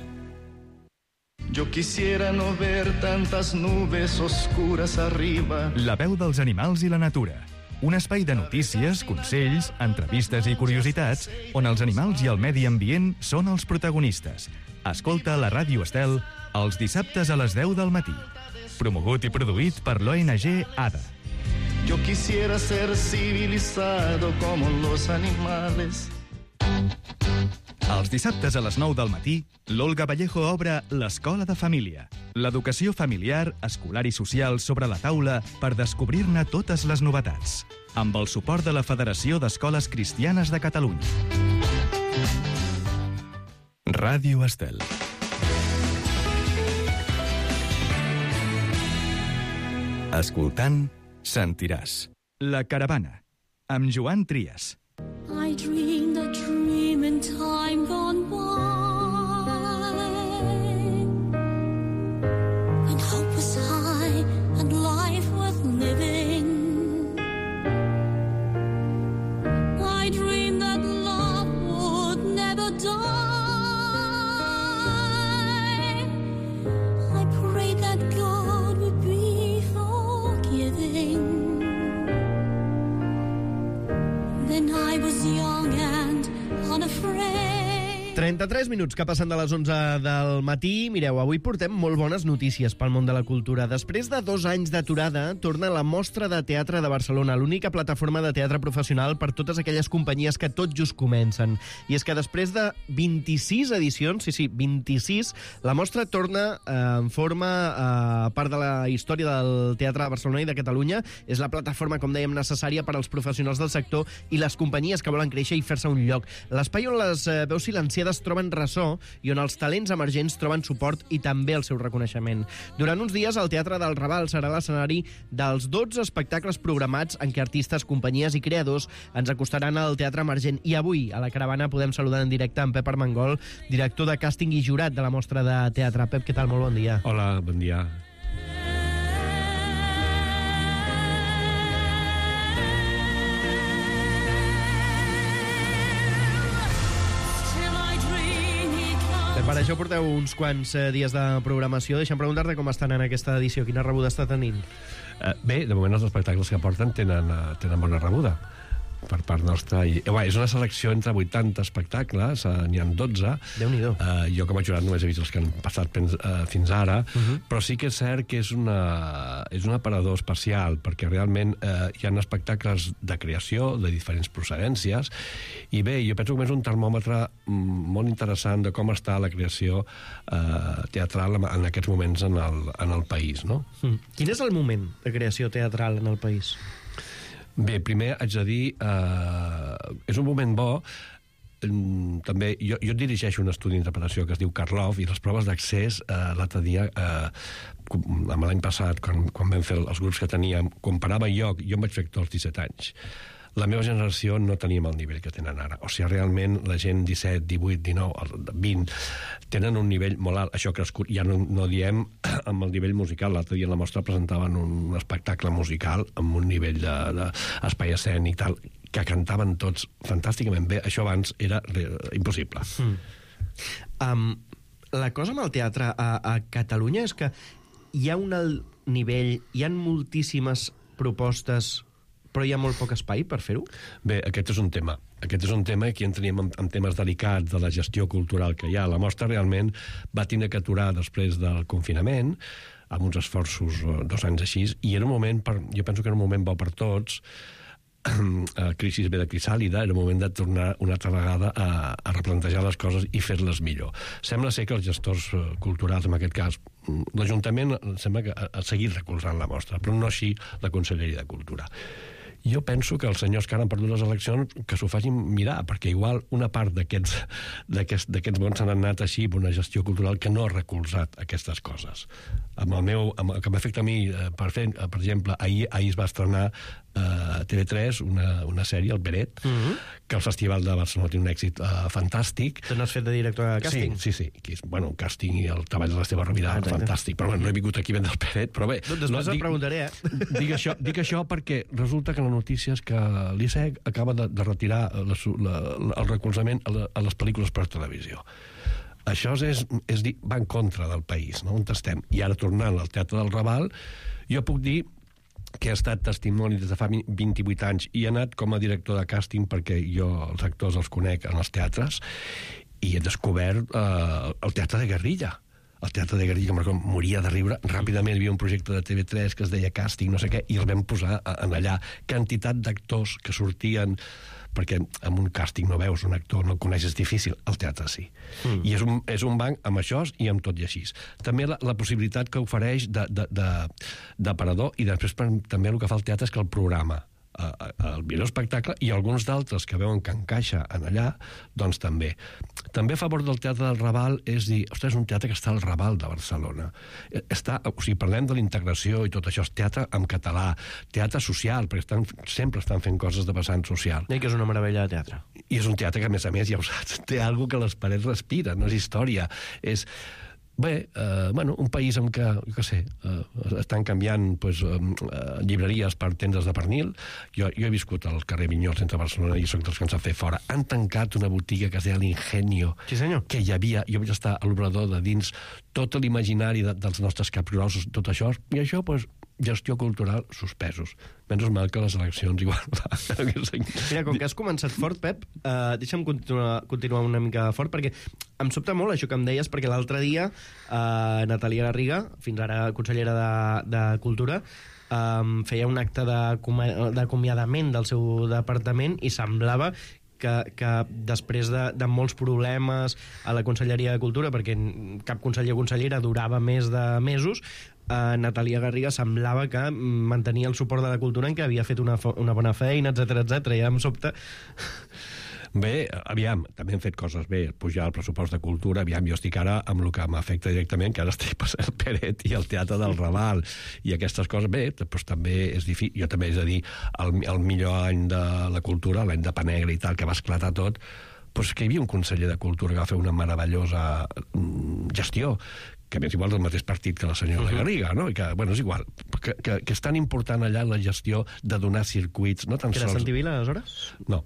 Speaker 14: Yo quisiera no ver tantas nubes oscuras arriba.
Speaker 1: La veu dels animals i la natura. Un espai de notícies, consells, entrevistes i curiositats on els animals i el medi ambient són els protagonistes. Escolta la Ràdio Estel els dissabtes a les 10 del matí. Promogut i produït per l'ONG ADA.
Speaker 14: Yo quisiera ser civilizado como los animales.
Speaker 1: Els dissabtes a les 9 del matí, l'Olga Vallejo obre l'Escola de Família. L'educació familiar, escolar i social sobre la taula per descobrir-ne totes les novetats. Amb el suport de la Federació d'Escoles Cristianes de Catalunya. Ràdio Estel. Escoltant, sentiràs. La Caravana, amb Joan Trias.
Speaker 15: I dreamed a dream in time gone by, when hope was high and life worth living. I dreamed that love would never die. I prayed that God would be forgiving. Then I was young and unafraid.
Speaker 16: 33 minuts que passen de les 11 del matí. Mireu, avui portem molt bones notícies pel món de la cultura. Després de 2 anys d'aturada, torna la Mostra de Teatre de Barcelona, l'única plataforma de teatre professional per totes aquelles companyies que tot just comencen. I és que després de 26 edicions, sí, 26, la Mostra torna en forma part de la història del Teatre de Barcelona i de Catalunya. És la plataforma, com dèiem, necessària per als professionals del sector i les companyies que volen créixer i fer-se un lloc. L'espai on les veus silenciades troben ressò i on els talents emergents troben suport i també el seu reconeixement. Durant uns dies, el Teatre del Raval serà l'escenari dels 12 espectacles programats en què artistes, companyies i creadors ens acostaran al teatre emergent. I avui, a la Caravana, podem saludar en directe en Pep Armengol, director de càsting i jurat de la Mostra de Teatre. Pep, què tal? Molt bon dia.
Speaker 17: Hola, bon dia.
Speaker 16: Per això porteu uns quants dies de programació. Deixa'm preguntar-te com estan en aquesta edició. Quina rebuda està tenint?
Speaker 17: Bé, de moment els espectacles que porten tenen bona rebuda per part nostra. És una selecció entre 80 espectacles, n'hi ha 12.
Speaker 16: Déu-n'hi-do.
Speaker 17: Jo com a jurat només he vist els que han passat fins ara, però sí que és cert que és un aparador especial, perquè realment hi ha espectacles de creació de diferents procedències, i bé, jo penso que és un termòmetre molt interessant de com està la creació teatral en aquests moments en el país, no?
Speaker 16: Quin és el moment de creació teatral en el país?
Speaker 17: Bé, primer haig de dir, és un moment bo. També, jo dirigeixo un estudi d'interpretació que es diu Karloff, i les proves d'accés l'altre dia, l'any passat, quan vam fer els grups que teníem, comparava jo em vaig fer actor als 17 anys. La meva generació no teníem el nivell que tenen ara. O sigui, realment la gent 17, 18, 19, 20 tenen un nivell molt alt. Això ha crescut, ja no diem amb el nivell musical. L'altre dia en la mostra presentaven un espectacle musical amb un nivell d'espai escènic tal, que cantaven tots fantàsticament bé. Això abans era impossible.
Speaker 16: La cosa amb el teatre a Catalunya és que hi ha un alt nivell, hi ha moltíssimes propostes, però hi ha molt poc espai per fer-ho?
Speaker 17: Bé, aquest és un tema. Aquest és un tema que entrem en temes delicats de la gestió cultural que hi ha. La Mostra realment va tenir que aturar després del confinament, amb uns esforços 2 anys així, i era un moment, jo penso que era un moment bo per tots, crisi ve de crisàlida, era un moment de tornar una altra vegada a replantejar les coses i fer-les millor. Sembla ser que els gestors culturals, en aquest cas, l'Ajuntament sembla que ha seguit recolzant la Mostra, però no així la Conselleria de Cultura. Jo penso que els senyors que ara han perdut les eleccions que s'ho facin mirar, perquè igual una part d'aquests bons s'han anat així per una gestió cultural que no ha recolzat aquestes coses. Amb el que m'afecta a mi, per exemple, ahir es va estrenar a TV3 una sèrie, El Beret, que al Festival de Barcelona té un èxit fantàstic.
Speaker 16: Tu n'has fet de director de càsting?
Speaker 17: Sí. Un càsting i el treball de l'Esteve Rovira, fantàstic. Però no he vingut aquí a vendre El Beret, però bé...
Speaker 16: Després et preguntaré,
Speaker 17: Dic això perquè resulta que la notícia és que l'ISEC acaba de retirar el recolzament a les pel·lícules per televisió. Això és dir, va en contra del país, no? On estem. I ara, tornant al Teatre del Raval, jo puc dir que he estat testimoni des de fa 28 anys i he anat com a director de càsting perquè jo els actors els conec en els teatres i he descobert el teatre de guerrilla. El teatre de guerrilla, que moria de riure. Ràpidament hi havia un projecte de TV3 que es deia Càsting, no sé què, i el vam posar en allà. Quantitat d'actors que sortien, perquè en un càsting no veus un actor, no el coneixes, difícil, el teatre sí. I és un banc amb això i amb tot i així. També la possibilitat que ofereix d'aparador, i després també el que fa el teatre és que el programa el millor espectacle, i alguns d'altres que veuen que encaixa en allà, doncs també. També a favor del Teatre del Raval és dir, ostres, és un teatre que està al Raval de Barcelona. Parlem de la integració i tot això, és teatre en català, teatre social, perquè sempre estan fent coses de vessant social.
Speaker 16: I que és una meravella de teatre.
Speaker 17: I és un teatre que, a més, ja ho saps, té alguna que les parets respiren, no és història, és... Bé, un país en què, jo què sé, estan canviant llibreries per tendes de pernil. Jo he viscut al carrer Vinyols entre Barcelona i soc dels que ens han fet fora. Han tancat una botiga que es deia l'Ingenio,
Speaker 16: sí, senyor,
Speaker 17: que hi havia, jo vaig estar a l'obrador de dins tot l'imaginari dels nostres capgrossos, tot això, i això, gestió cultural suspesos. Menys mal que les eleccions igual...
Speaker 16: Mira, com que has començat fort, Pep, deixa'm continuar una mica fort, perquè em sobta molt això que em deies, perquè l'altre dia Natàlia Garriga, fins ara consellera de Cultura, feia un acte d'acomiadament del seu departament i semblava que després de molts problemes a la Conselleria de Cultura, perquè cap conseller o consellera durava més de mesos, Natàlia Garriga semblava que mantenia el suport de la cultura en què havia fet una bona feina, etc. I em sobta...
Speaker 17: Bé, aviam, també hem fet coses bé, pujar el pressupost de cultura, aviam, jo estic ara amb el que m'afecta directament, que ara estic passant el Peret i el Teatre del Raval, i aquestes coses, bé, doncs també és difícil. Jo també, és a dir, el millor any de la cultura, l'any de Panegra i tal, que va esclatar tot, doncs que hi havia un conseller de Cultura que va fer una meravellosa gestió, que més igual del mateix partit que la senyora Garriga, no? I que, bueno, és igual, que és tan important allà la gestió de donar circuits, no tan sols...
Speaker 16: Que era Santivila, aleshores?
Speaker 17: No.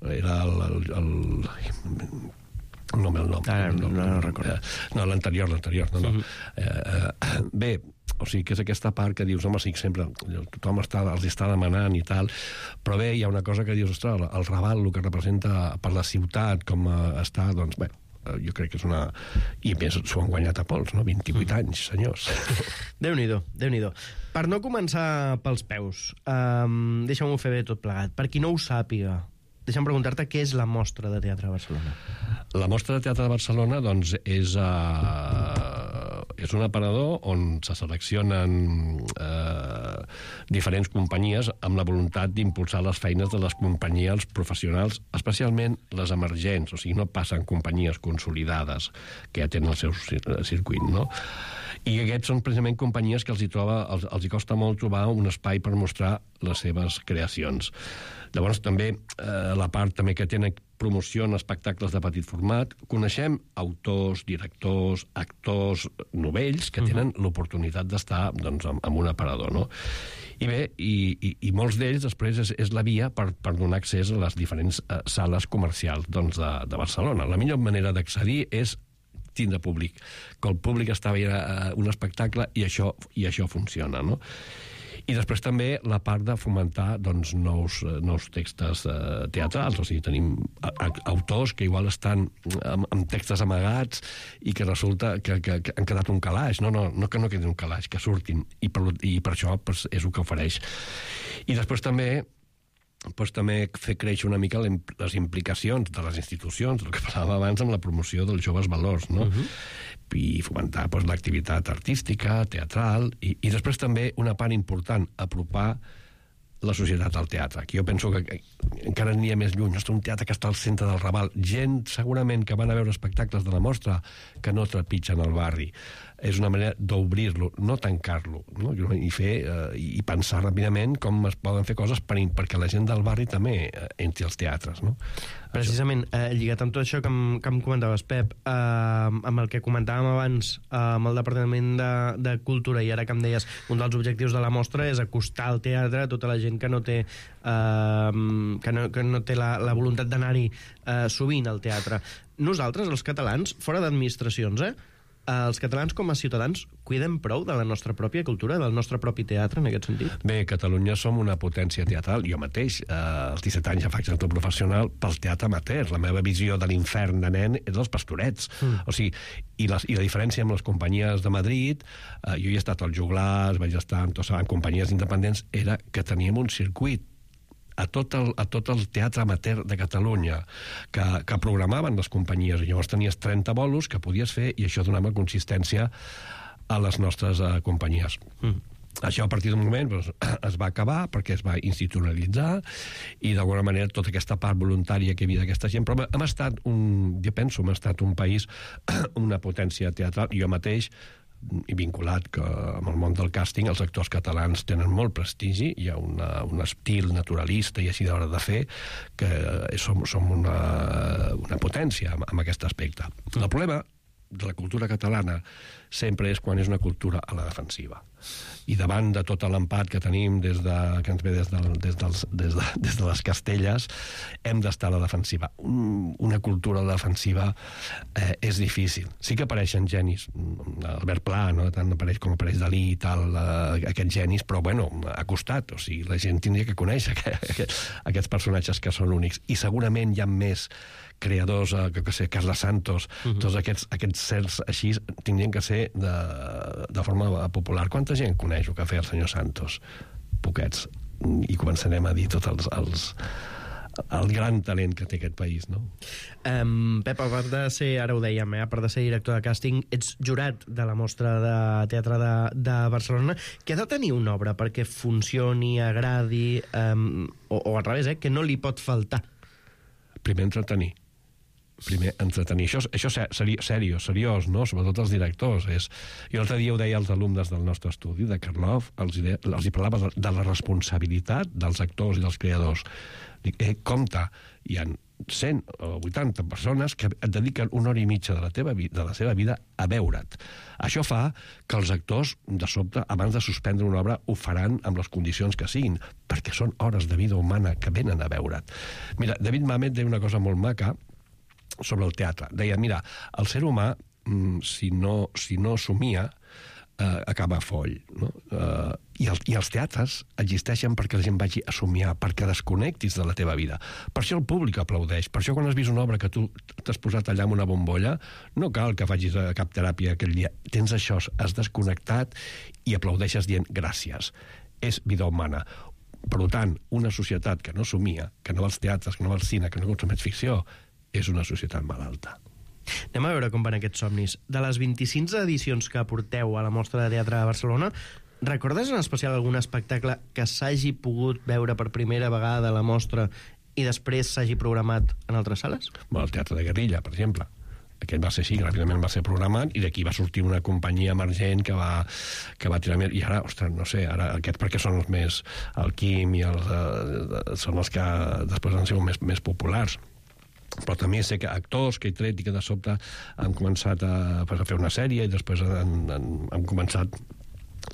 Speaker 17: Era el... No el nom.
Speaker 16: No recordo.
Speaker 17: No, l'anterior, no. Bé, o sigui, que és aquesta part que dius, home, sí, sempre tothom els està demanant i tal, però bé, hi ha una cosa que dius, ostres, el Raval, el que representa per la ciutat, com està, doncs, bé, jo crec que és una... I més s'ho han guanyat a pols, no? 28 anys, senyors.
Speaker 16: Déu-n'hi-do. Per no començar pels peus, deixa'm-ho fer bé tot plegat. Per qui no ho sàpiga, deixa'm preguntar-te què és la Mostra de Teatre de Barcelona.
Speaker 17: La Mostra de Teatre de Barcelona, doncs, és un aparador on se seleccionen diferents companyies amb la voluntat d'impulsar les feines de les companyies professionals, especialment les emergents, o sigui, no passen companyies consolidades que ja tenen el seu circuit, no? I aquests són precisament companyies que els hi costa molt trobar un espai per mostrar les seves creacions. Llavors també la part també que tenen promoció en espectacles de petit format, coneixem autors, directors, actors novells que tenen l'oportunitat d'estar, doncs, en un aparador, no? I bé, i molts d'ells després és la via per donar accés a les diferents sales comercials, doncs, de Barcelona. La millor manera d'accedir és tindre públic, que el públic està veient un espectacle i això funciona, no? I després també la part de fomentar, doncs, nous textos teatrals, o sigui, tenim autors que igual estan amb textos amagats i que resulta que han quedat un calaix. No que no quedin un calaix, que surtin, i per això és el que ofereix. I després també fer créixer una mica les implicacions de les institucions, el que parlàvem abans amb la promoció dels joves valors, no? I fomentar l'activitat artística, teatral, i després també una part important, apropar la societat al teatre. Aquí jo penso que encara aniria més lluny. És un teatre que està al centre del Raval. Gent, segurament, que van a veure espectacles de la Mostra que no trepitgen el barri. És una manera d'obrir-lo, no tancar-lo, no? I pensar ràpidament com es poden fer coses perquè la gent del barri també entri als teatres, no?
Speaker 16: Precisament, lligat amb tot això que em comentaves, Pep, amb el que comentàvem abans amb el Departament de Cultura, i ara que em deies un dels objectius de la mostra és acostar el teatre a tota la gent gent que no té que no té la voluntat d'anar-hi sovint al teatre. Nosaltres, els catalans, fora d'administracions, els catalans com a ciutadans cuidem prou de la nostra pròpia cultura, del nostre propi teatre, en aquest sentit?
Speaker 17: Bé, a Catalunya som una potència teatral. Jo mateix, als 17 anys ja faig actor professional pel teatre amateur. La meva visió de l'infern de nen és dels Pastorets. O sigui, i la diferència amb les companyies de Madrid, jo hi he estat als Joglars, vaig estar en companyies independents, era que teníem un circuit a tot el teatre amateur de Catalunya que programaven les companyies. Llavors tenies 30 bolos que podies fer i això donava consistència a les nostres companyies. Això a partir d'un moment es va acabar perquè es va institucionalitzar i d'alguna manera tota aquesta part voluntària que hi havia d'aquesta gent, però hem estat hem estat un país, una potència teatral. Jo mateix i vinculat que amb el món del càsting els actors catalans tenen molt prestigi, hi ha un estil naturalista i així d'hora de fer que som una potència en aquest aspecte. El problema de la cultura catalana sempre és quan és una cultura a la defensiva. I davant de tot l'empat que tenim que ens ve des de les Castelles, hem d'estar a la defensiva. Una cultura a la defensiva és difícil. Sí que apareixen genis. Albert Pla, no? Tant apareix com apareix Dalí i tal, aquests genis, però bueno, ha costat. O sigui, la gent tindria que conèixer aquests personatges que són únics. I segurament hi ha més creadors, Carles Santos, tots aquests certs així tindrien que ser de forma popular. Quanta gent coneix el que feia el senyor Santos? Poquets. I començarem a dir tot el gran talent que té aquest país, no?
Speaker 16: Pep, a part de ser, ara ho dèiem, a part de ser director de càsting, ets jurat de la Mostra de Teatre de Barcelona. Què ha de tenir una obra perquè funcioni, agradi, o al revés, que no li pot faltar?
Speaker 17: Primer entretenir. Això seriós, no? Sobretot els directors. Jo l'altre dia ho deia als alumnes del nostre estudi, de Karloff, els hi parlava de la responsabilitat dels actors i dels creadors. Dic, compte, hi ha 100 o 80 persones que et dediquen una hora i mitja de la seva vida a veure't. Això fa que els actors, de sobte, abans de suspendre una obra, ho faran amb les condicions que siguin, perquè són hores de vida humana que venen a veure't. Mira, David Mamet deia una cosa molt maca sobre el teatre. Deia, mira, el ser humà, si no somia, acaba foll. No? I els teatres existeixen perquè la gent vagi a somiar, perquè desconnectis de la teva vida. Per això el públic aplaudeix. Per això quan has vist una obra que tu t'has posat allà amb una bombolla, no cal que facis cap teràpia aquell dia. Tens això, has desconnectat i aplaudeixes dient gràcies. És vida humana. Per tant, una societat que no somia, que no va als teatres, que no va al cine, que no consumeix ficció, és una societat malalta.
Speaker 16: Anem a veure com van aquests somnis. De les 25 edicions que porteu a la Mostra de Teatre de Barcelona, recordes en especial algun espectacle que s'hagi pogut veure per primera vegada a la Mostra i després s'hagi programat en altres sales?
Speaker 17: El Teatre de Guerrilla, per exemple. Aquest va ser així, ràpidament va ser programat i d'aquí va sortir una companyia emergent que va tirar més. I ara, ostres, no sé, ara aquests perquè són els més... El Quim i són els que després han sigut més populars. Però també sé que actors que he tret i que de sobte han començat a fer una sèrie i després han començat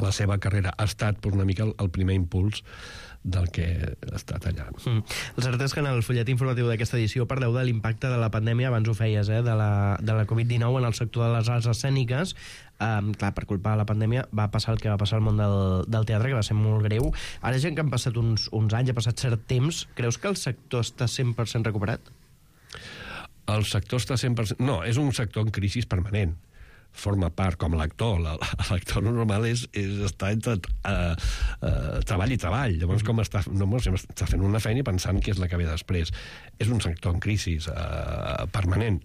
Speaker 17: la seva carrera. Ha estat una mica el primer impuls del que ha estat allà.
Speaker 16: El cert és que en el fulletí informatiu d'aquesta edició parleu de l'impacte de la pandèmia, abans ho feies, de la Covid-19 en el sector de les arts escèniques. Clar, per culpa de la pandèmia va passar el que va passar al món del teatre, que va ser molt greu. Ara ja que han passat uns anys, ha passat cert temps, creus que el sector està 100% recuperat?
Speaker 17: El sector està 100%... No, és un sector en crisi permanent. Forma part, com l'actor. L'actor normal és estar entre treball i treball. Llavors, com està fent una feina i pensant que és la que ve després. És un sector en crisi permanent.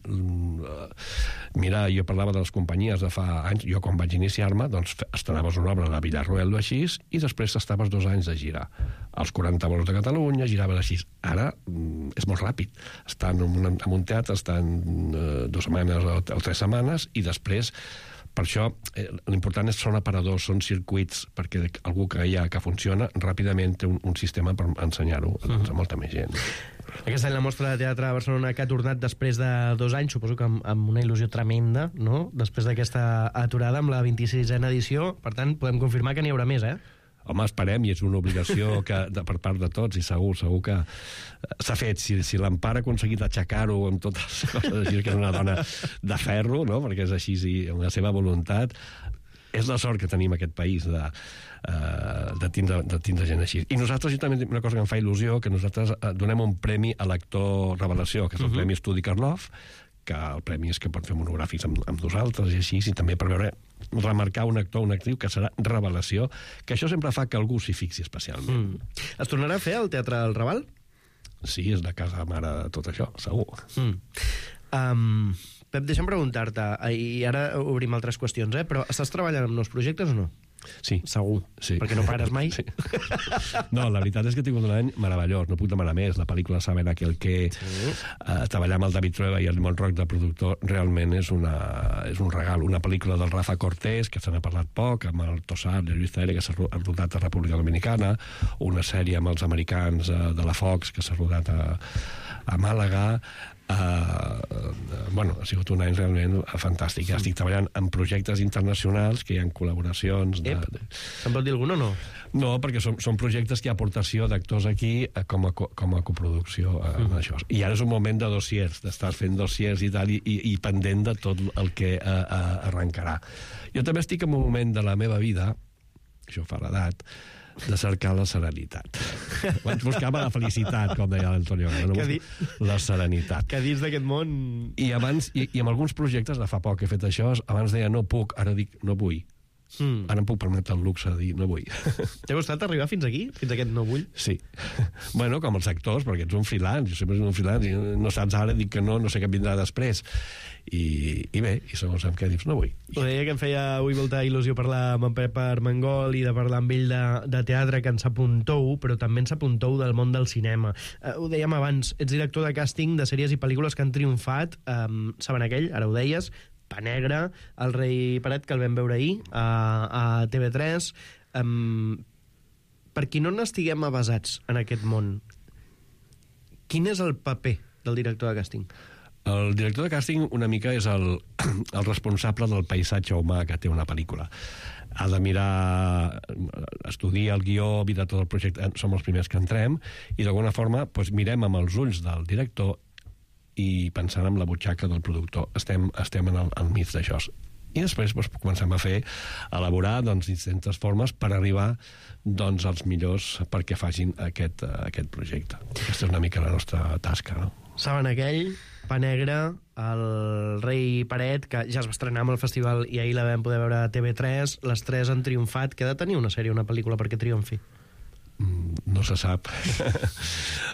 Speaker 17: Mira, jo parlava de les companyies de fa anys. Jo, quan vaig iniciar-me, doncs estrenaves una obra a la Villarroel o així i després estaves 2 anys de girar. Els 40 bolos de Catalunya, giraves així. Ara és molt ràpid. Estan en un teatre, estan 2 setmanes o 3 setmanes i després, per això, l'important són aparadors, són circuits, perquè algú que hi ha que funciona ràpidament té un sistema per ensenyar-ho a molta més gent.
Speaker 16: Aquest any la Mostra de Teatre de Barcelona, que ha tornat després de 2 anys, suposo que amb una il·lusió tremenda, no? Després d'aquesta aturada amb la 26a edició. Per tant, podem confirmar que n'hi haurà més,
Speaker 17: Home, esperem, i és una obligació per part de tots, i segur que s'ha fet. Si l'Empar ha aconseguit aixecar-ho amb totes les coses així, que és una dona de ferro, no? Perquè és així, amb la seva voluntat, és la sort que tenim aquest país de tindre gent així. I nosaltres, també una cosa que em fa il·lusió, que nosaltres donem un premi a l'actor revelació, que és el Premi Estudi Karloff, que el premi és que pot fer monogràfics amb nosaltres i així, i també per veure, remarcar un actor o una actriu que serà revelació, que això sempre fa que algú s'hi fixi especialment.
Speaker 16: Es tornarà a fer al Teatre del Raval?
Speaker 17: Sí, és la casa mare de tot això, segur.
Speaker 16: Pep, deixa'm preguntar-te, i ara obrim altres qüestions, però estàs treballant amb nous projectes o no?
Speaker 17: Sí.
Speaker 16: Segur,
Speaker 17: sí.
Speaker 16: Perquè no pares mai?
Speaker 17: Sí. No, la veritat és que he tingut un any meravellós, no puc demanar més. La pel·lícula Saben aquel que... treballar amb el David Trueba i el Montroc de productor realment és un regal. Una pel·lícula del Rafa Cortés, que se n'ha parlat poc, amb el Tossar, de Lluís Taire, que s'ha rodat a República Dominicana, una sèrie amb els americans de la Fox, que s'ha rodat a Màlaga. Ha sigut un any realment fantàstic. Ja estic treballant en projectes internacionals, que hi ha col·laboracions...
Speaker 16: Se'n pot dir algun o no?
Speaker 17: No, perquè són projectes que hi ha aportació d'actors aquí com a coproducció en això. I ara és un moment de dossiers, d'estar fent dossiers i tal, i pendent de tot el que arrencarà. Jo també estic en un moment de la meva vida, això fa l'edat, de cercar la serenitat. Abans buscava la felicitat, com deia l'Antonio. La serenitat.
Speaker 16: Que dins d'aquest món...
Speaker 17: I amb alguns projectes, de fa poc que he fet això, abans deia no puc, ara dic no vull. Ara em puc permetre el luxe de dir no vull.
Speaker 16: T'ha costat arribar fins aquí? Fins a aquest no vull?
Speaker 17: Sí. Bueno, com els actors, perquè ets un freelance, jo sempre soc un freelance, i no saps ara, dic que no sé què vindrà després. I bé, i segons amb què dius, no vull.
Speaker 16: Ho deia que em feia avui molta il·lusió parlar amb en Pep Armengol i de parlar amb ell de teatre, que ens apuntou, però també ens apuntou del món del cinema. Ho dèiem abans, ets director de càsting de sèries i pel·lícules que han triomfat, Saben aquell, ara ho deies, Pa Negre, El rei Peret, que el vam veure ahir a TV3. Per qui no n'estiguem avasats en aquest món, quin és el paper del director de càsting?
Speaker 17: El director de càsting una mica és el responsable del paisatge humà que té una pel·lícula. Ha de mirar, estudiar el guió, mirar tot el projecte, som els primers que entrem, i d'alguna forma mirem amb els ulls del director i pensant en la butxaca del productor. Estem al mig d'això. I després comencem a elaborar distintes formes per arribar als millors perquè facin aquest projecte. Aquesta és una mica la nostra tasca, no?
Speaker 16: Saben aquell, Pa Negre, El rei Peret, que ja es va estrenar amb el festival i ahir la vam poder veure a TV3. Les tres han triomfat. Què ha de tenir una sèrie o una pel·lícula perquè triomfi?
Speaker 17: No se sap.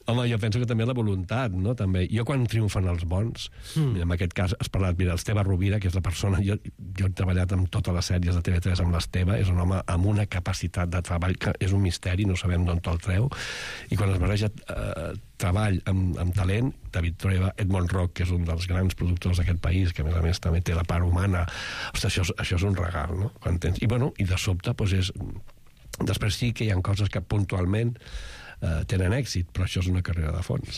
Speaker 17: Home, jo penso que també la voluntat, no? També. Jo quan triomfen els bons, en aquest cas has parlat, mira, l'Esteve Rovira, que és la persona, jo he treballat amb totes les sèries de TV3 amb l'Esteve, és un home amb una capacitat de treball que és un misteri, no sabem d'on el treu, i quan es barreja treball amb talent, David Trueba, Edmond Rock, que és un dels grans productors d'aquest país, que a més també té la part humana, ostres, això és un regal, no? I de sobte, és... Després sí que hi ha coses que puntualment tenen èxit, però això és una carrera de fons.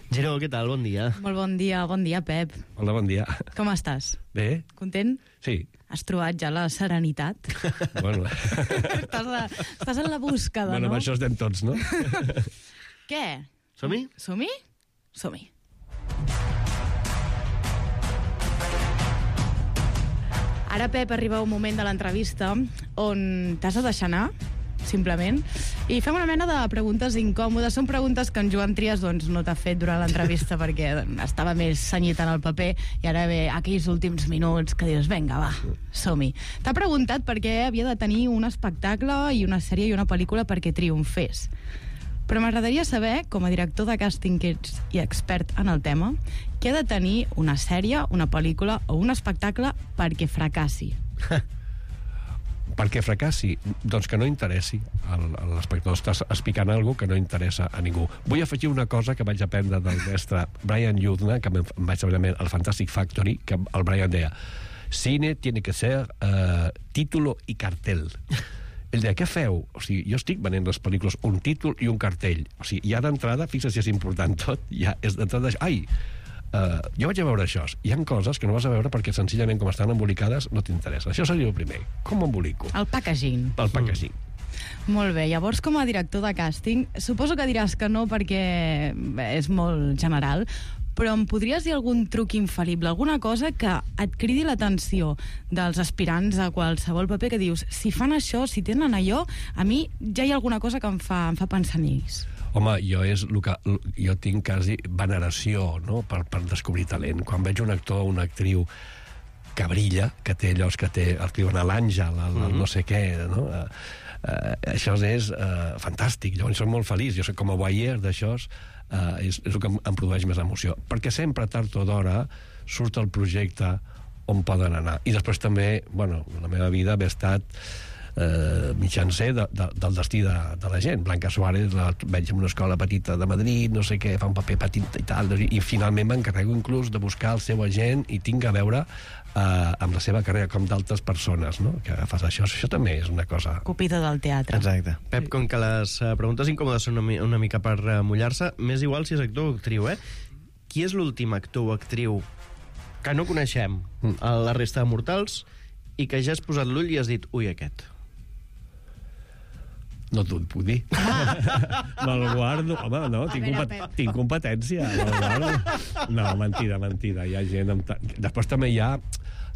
Speaker 16: Gero, què tal? Bon dia.
Speaker 13: Molt bon dia, Pep.
Speaker 17: Hola, bon dia.
Speaker 13: Com estàs?
Speaker 17: Bé.
Speaker 13: Content?
Speaker 17: Sí.
Speaker 13: Has trobat ja la serenitat?
Speaker 17: Bueno.
Speaker 13: Estàs en la búsqueda,
Speaker 17: no? Bueno, amb això estem tots, no?
Speaker 13: Què?
Speaker 16: Som-hi?
Speaker 13: Som-hi? Som-hi. Ara, Pep, arriba un moment de l'entrevista on t'has de deixar anar, simplement, i fem una mena de preguntes incòmodes. Són preguntes que en Joan Trias no t'ha fet durant l'entrevista perquè estava més senyit en el paper, i ara ve aquells últims minuts que dius, vinga, va, som-hi. T'ha preguntat per què havia de tenir un espectacle i una sèrie i una pel·lícula perquè triomfés. Però m'agradaria saber, com a director de càsting que ets i expert en el tema, què ha de tenir una sèrie, una pel·lícula o un espectacle perquè fracassi?
Speaker 17: Perquè fracassi? Doncs que no interessi a l'espectador. Estàs explicant alguna cosa que no interessa a ningú. Vull afegir una cosa que vaig aprendre del mestre Brian Yuzna, que em vaig veure al Fantastic Factory, que el Brian deia: cine tiene que ser título y cartel. El de què feu? O sigui, jo estic venent les pel·lícules un títol i un cartell. O sigui, ja d'entrada, fixa't si és important tot, ja és d'entrada... Ai, jo vaig a veure això. Hi ha coses que no vas a veure perquè senzillament com estan embolicades no t'interessa. Això seria el primer. Com embolico?
Speaker 13: El packaging.
Speaker 17: El packaging.
Speaker 13: Molt bé, llavors com a director de càsting, suposo que diràs que no perquè és molt general, però em podries dir algun truc infal·lible, alguna cosa que et cridi l'atenció dels aspirants a qualsevol paper que dius, si fan això, si tenen allò, a mi ja hi ha alguna cosa que em fa pensar en ells.
Speaker 17: Home, jo tinc quasi veneració, no?, per descobrir talent. Quan veig un actor o una actriu que brilla, que té allò que té, el diuen l'àngel, el no sé què, no?, això és fantàstic. Llavors soc molt feliç, jo soc com a voyeur d'això, és el que em produeix més emoció, perquè sempre tard o d'hora surt el projecte on poden anar. I després també, bueno, la meva vida ha estat mitjancer del destí de la gent. Blanca Suárez la veig en una escola petita de Madrid, no sé què, fa un paper petit i tal, i finalment m'encarrego inclús de buscar el seu agent i tinc a veure amb la seva carrera, com d'altres persones, no?, que fas això. Això també és una cosa...
Speaker 13: Cupido del teatre.
Speaker 16: Exacte. Pep, com que les preguntes incòmodes són una mica per mullar-se, m'és igual si és actor o actriu, Qui és l'últim actor o actriu que no coneixem a la resta de mortals i que ja has posat l'ull i has dit, ui, aquest?
Speaker 17: No t'ho puc dir. Me'l guardo. Home, no, tinc competència. No, mentida. Hi ha gent... Després també hi ha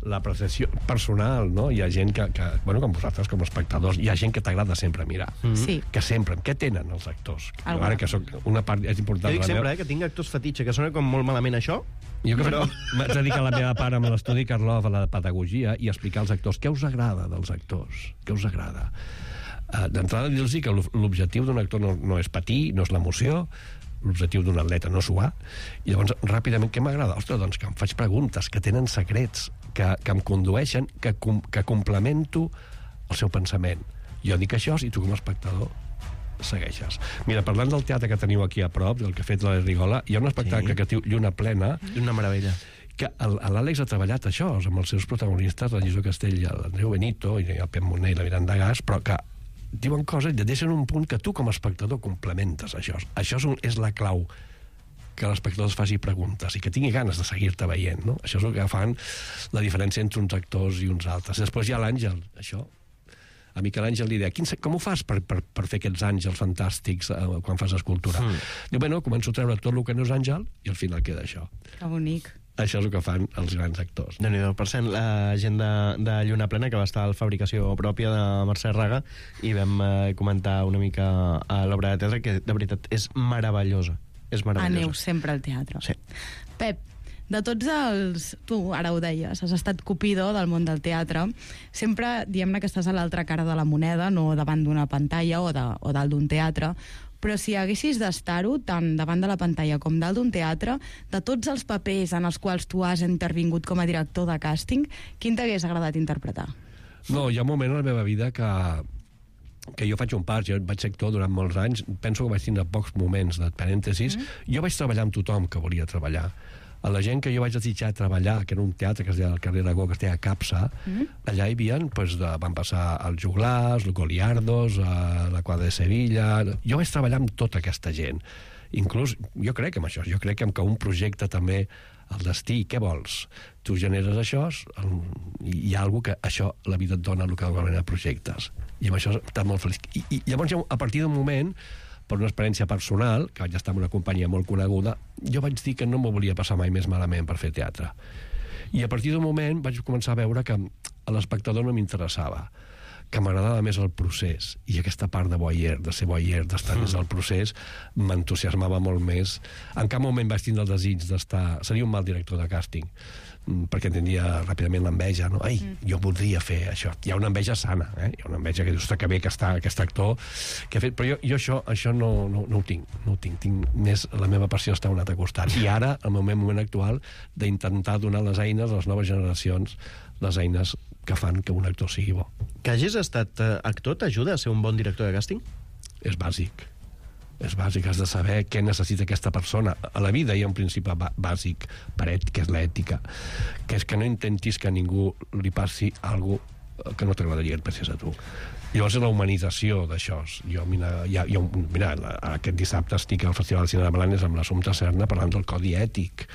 Speaker 17: l'apreciació personal, no? Hi ha gent que bueno, com vosaltres, com a espectadors, hi ha gent que t'agrada sempre mirar.
Speaker 13: Sí.
Speaker 17: Que sempre... Què tenen els actors? Ara que soc una part és important...
Speaker 16: Jo dic sempre, que tinc actors fetitxe, que sona com molt malament això.
Speaker 17: Jo que vaig dedicar la meva part amb l'estudi Karlov a la pedagogia i explicar als actors què us agrada dels actors, què us agrada. D'entrada dir-los que l'objectiu d'un actor no és patir, no és l'emoció, l'objectiu d'un atleta no suar, i llavors ràpidament què m'agrada? Ostres, doncs que em faig preguntes, que tenen secrets, que em condueixen, que complemento el seu pensament. Jo dic això i tu com a espectador segueixes. Mira, parlant del teatre que teniu aquí a prop, del que ha fet la Rigola, hi ha un espectacle que es diu Lluna plena.
Speaker 16: Una meravella.
Speaker 17: Que l'Àlex ha treballat això, amb els seus protagonistes, la Lluïsa Castell, l'Andreu Benito i el Pep Moner i la Miranda Gas, però que diuen coses i et deixen un punt que tu com a espectador complementes això. Això és la clau, que l'espectador es faci preguntes i que tingui ganes de seguir-te veient, no? Això és el que fan la diferència entre uns actors i uns altres. Després hi ha l'Àngel, això. A Miquel Àngel li deia, com ho fas per fer aquests àngels fantàstics quan fas escultura? Diu, bueno, començo a treure tot el que no és àngel i al final queda això.
Speaker 13: Que bonic.
Speaker 17: Això és el que fan els grans actors.
Speaker 16: Déu-n'hi-do. Per cent, la gent de Lluna Plena, que va estar a la fabricació pròpia de Mercè Raga, i vam comentar una mica a l'obra de teatre, que de veritat és meravellosa. És meravellosa.
Speaker 13: Aneu sempre al teatre.
Speaker 16: Sí.
Speaker 13: Pep, de tots els... Tu ara ho deies, has estat cupido del món del teatre. Sempre diem-ne que estàs a l'altra cara de la moneda, no davant d'una pantalla o dalt d'un teatre, però si haguessis d'estar-ho tant davant de la pantalla com dalt d'un teatre, de tots els papers en els quals tu has intervingut com a director de càsting, quin t'hagués agradat interpretar?
Speaker 17: No, hi ha un moment a la meva vida que jo faig un pas, jo vaig ser actor durant molts anys, penso que vaig tindre pocs moments de parèntesis, jo vaig treballar amb tothom que volia treballar. A la gent que jo vaig desitjar treballar, que era un teatre que es deia al carrer Aragó, que es deia Capsa, allà hi havia, van passar els Joglars, els Goliardos, la Quadra de Sevilla... Jo vaig treballar amb tota aquesta gent. Inclús, jo crec en això, jo crec que un projecte també, el destí, què vols? Tu generes això, i hi ha alguna que això, la vida et dona el que normalment a projectes. I amb això estàs molt feliç. I llavors, a partir d'un moment, per una experiència personal, que vaig estar en una companyia molt coneguda, jo vaig dir que no m'ho volia passar mai més malament per fer teatre. I a partir d'un moment vaig començar a veure que a l'espectador no m'interessava, que m'agradava més el procés, i aquesta part de voyeur, de ser voyeur, d'estar dins del procés, m'entusiasmava molt més. En cap moment vaig tindre el desig d'estar... Seria un mal director de càsting, perquè tindria ràpidament l'enveja, no? Ai, jo voldria fer això. Hi ha una enveja sana, Hi ha una enveja que dius, que bé que està aquest actor que ha fet... Però jo això no ho tinc, tinc més la meva passió està a un altre costat. I ara, el meu moment actual, d'intentar donar les eines a les noves generacions, les eines que fan que un actor sigui bo.
Speaker 16: Que hagis estat actor t'ajuda a ser un bon director de càsting?
Speaker 17: És bàsic. És bàsic, has de saber què necessita aquesta persona. A la vida hi ha un principi bàsic, que és l'ètica, que és que no intentis que a ningú li passi alguna cosa que no t'agradaria que et passés a tu. Llavors és la humanització d'això. Mira, aquest dissabte estic al Festival de Cine de Blanes amb l'Assumpta Serna parlant del codi ètic.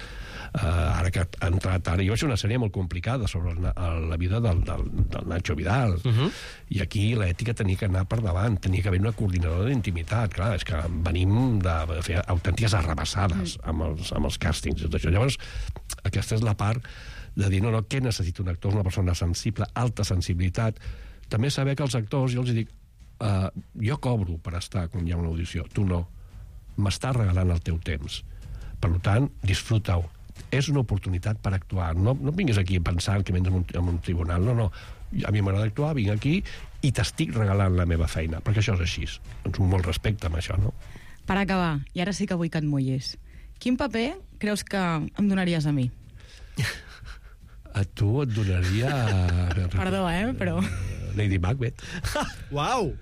Speaker 17: Ara que ha entrat ara, jo vaig fer una sèrie molt complicada sobre la vida del Nacho Vidal, i aquí l'ètica tenia que anar per davant, tenia que haver una coordinadora d'intimitat. Clar, és que venim de fer autèntiques arrabassades amb els càstings i tot això. Llavors, aquesta és la part de dir, no, què necessita un actor? Una persona sensible, alta sensibilitat. També saber que els actors, jo els dic, jo cobro per estar quan hi ha una audició, tu no. M'estàs regalant el teu temps. Per tant, disfruta-ho. És una oportunitat per actuar. No vinguis aquí pensant que vens en un tribunal. No. A mi m'agrada actuar, vinc aquí i t'estic regalant la meva feina, perquè això és així. Doncs un molt respecte amb això, no?
Speaker 18: Per acabar, i ara sí que vull que et mullis, quin paper creus que em donaries a mi?
Speaker 17: A tu et donaria...
Speaker 18: Perdó, però...
Speaker 17: Lady Macbeth.
Speaker 16: Uau!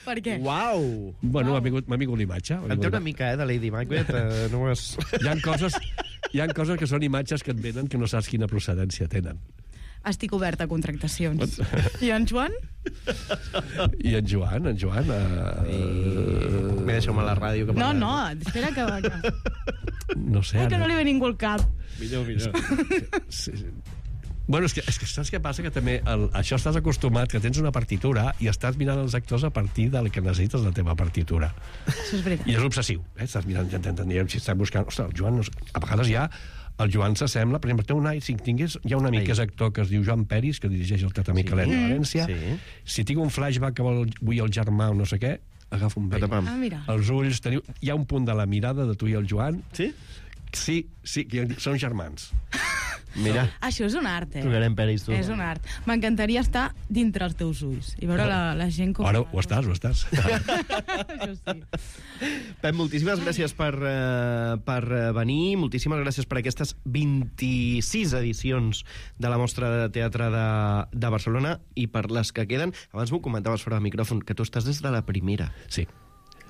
Speaker 18: Per què?
Speaker 16: Uau!
Speaker 17: Bueno, m'ha vingut l'imatge.
Speaker 16: En té una mica, de Lady Macbeth. No és...
Speaker 17: Hi ha coses que són imatges que et venen que no saps quina procedència tenen.
Speaker 18: Estic oberta a contractacions. I en Joan?
Speaker 17: I en Joan?
Speaker 16: Deixeu-me la ràdio.
Speaker 18: No, espera que...
Speaker 17: No sé.
Speaker 18: Que no li ve ningú al cap.
Speaker 16: Millor.
Speaker 17: Sí. Bueno, és que saps què passa? Que també això estàs acostumat, que tens una partitura i estàs mirant els actors a partir del que necessites la teva partitura.
Speaker 18: Això és veritat.
Speaker 17: I és obsessiu. Estàs mirant, si estàs buscant... Ostres, el Joan... A vegades ja el Joan s'assembla, per exemple, hi ha un amic que és actor que es diu Joan Peris, que dirigeix el Teatre Micalet de València. Si tinc un flashback que vull el germà o no sé què, agafa un vell. Els ulls, hi ha un punt de la mirada de tu i el Joan.
Speaker 16: Sí?
Speaker 17: Sí, que són germans.
Speaker 16: Mira.
Speaker 18: Això és un art,
Speaker 16: Trucarem Peris, tu.
Speaker 18: És un art. M'encantaria estar dintre els teus ulls i veure la gent com...
Speaker 17: Ara ho estàs.
Speaker 18: Això sí.
Speaker 16: Pep, moltíssimes gràcies per venir, moltíssimes gràcies per aquestes 26 edicions de la Mostra de Teatre de Barcelona i per les que queden. Abans m'ho comentaves fora del micròfon, que tu estàs des de la primera.
Speaker 17: Sí.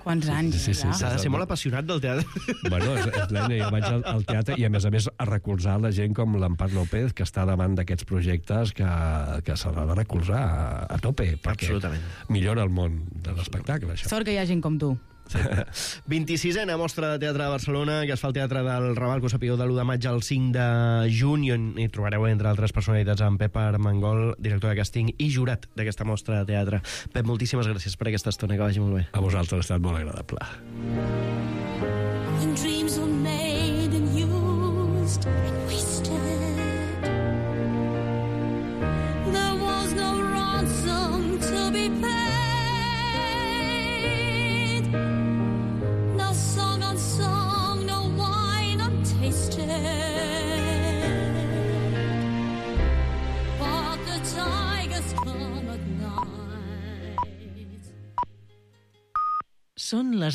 Speaker 18: Quants anys,
Speaker 16: sí. S'ha de ser molt apassionat del teatre.
Speaker 17: Bueno, jo vaig al teatre i, a més, a recolzar la gent com l'Empar López, que està davant d'aquests projectes que s'ha de recolzar a tope, perquè millora el món de l'espectacle, això.
Speaker 18: Sort que hi ha gent com tu.
Speaker 16: Sí. 26a Mostra de Teatre de Barcelona, que es fa al Teatre del Raval, que ho sapigueu, de l'1 de maig al 5 de juny, on hi trobareu, entre altres personalitats, en Pep Armengol, director de càsting i jurat d'aquesta mostra de teatre. Pep, moltíssimes gràcies per aquesta estona, que vagi molt bé.
Speaker 17: A vosaltres, ha estat molt agradable.
Speaker 15: When dreams were made and used and wasted, there was no ransom to be paid.
Speaker 19: Són les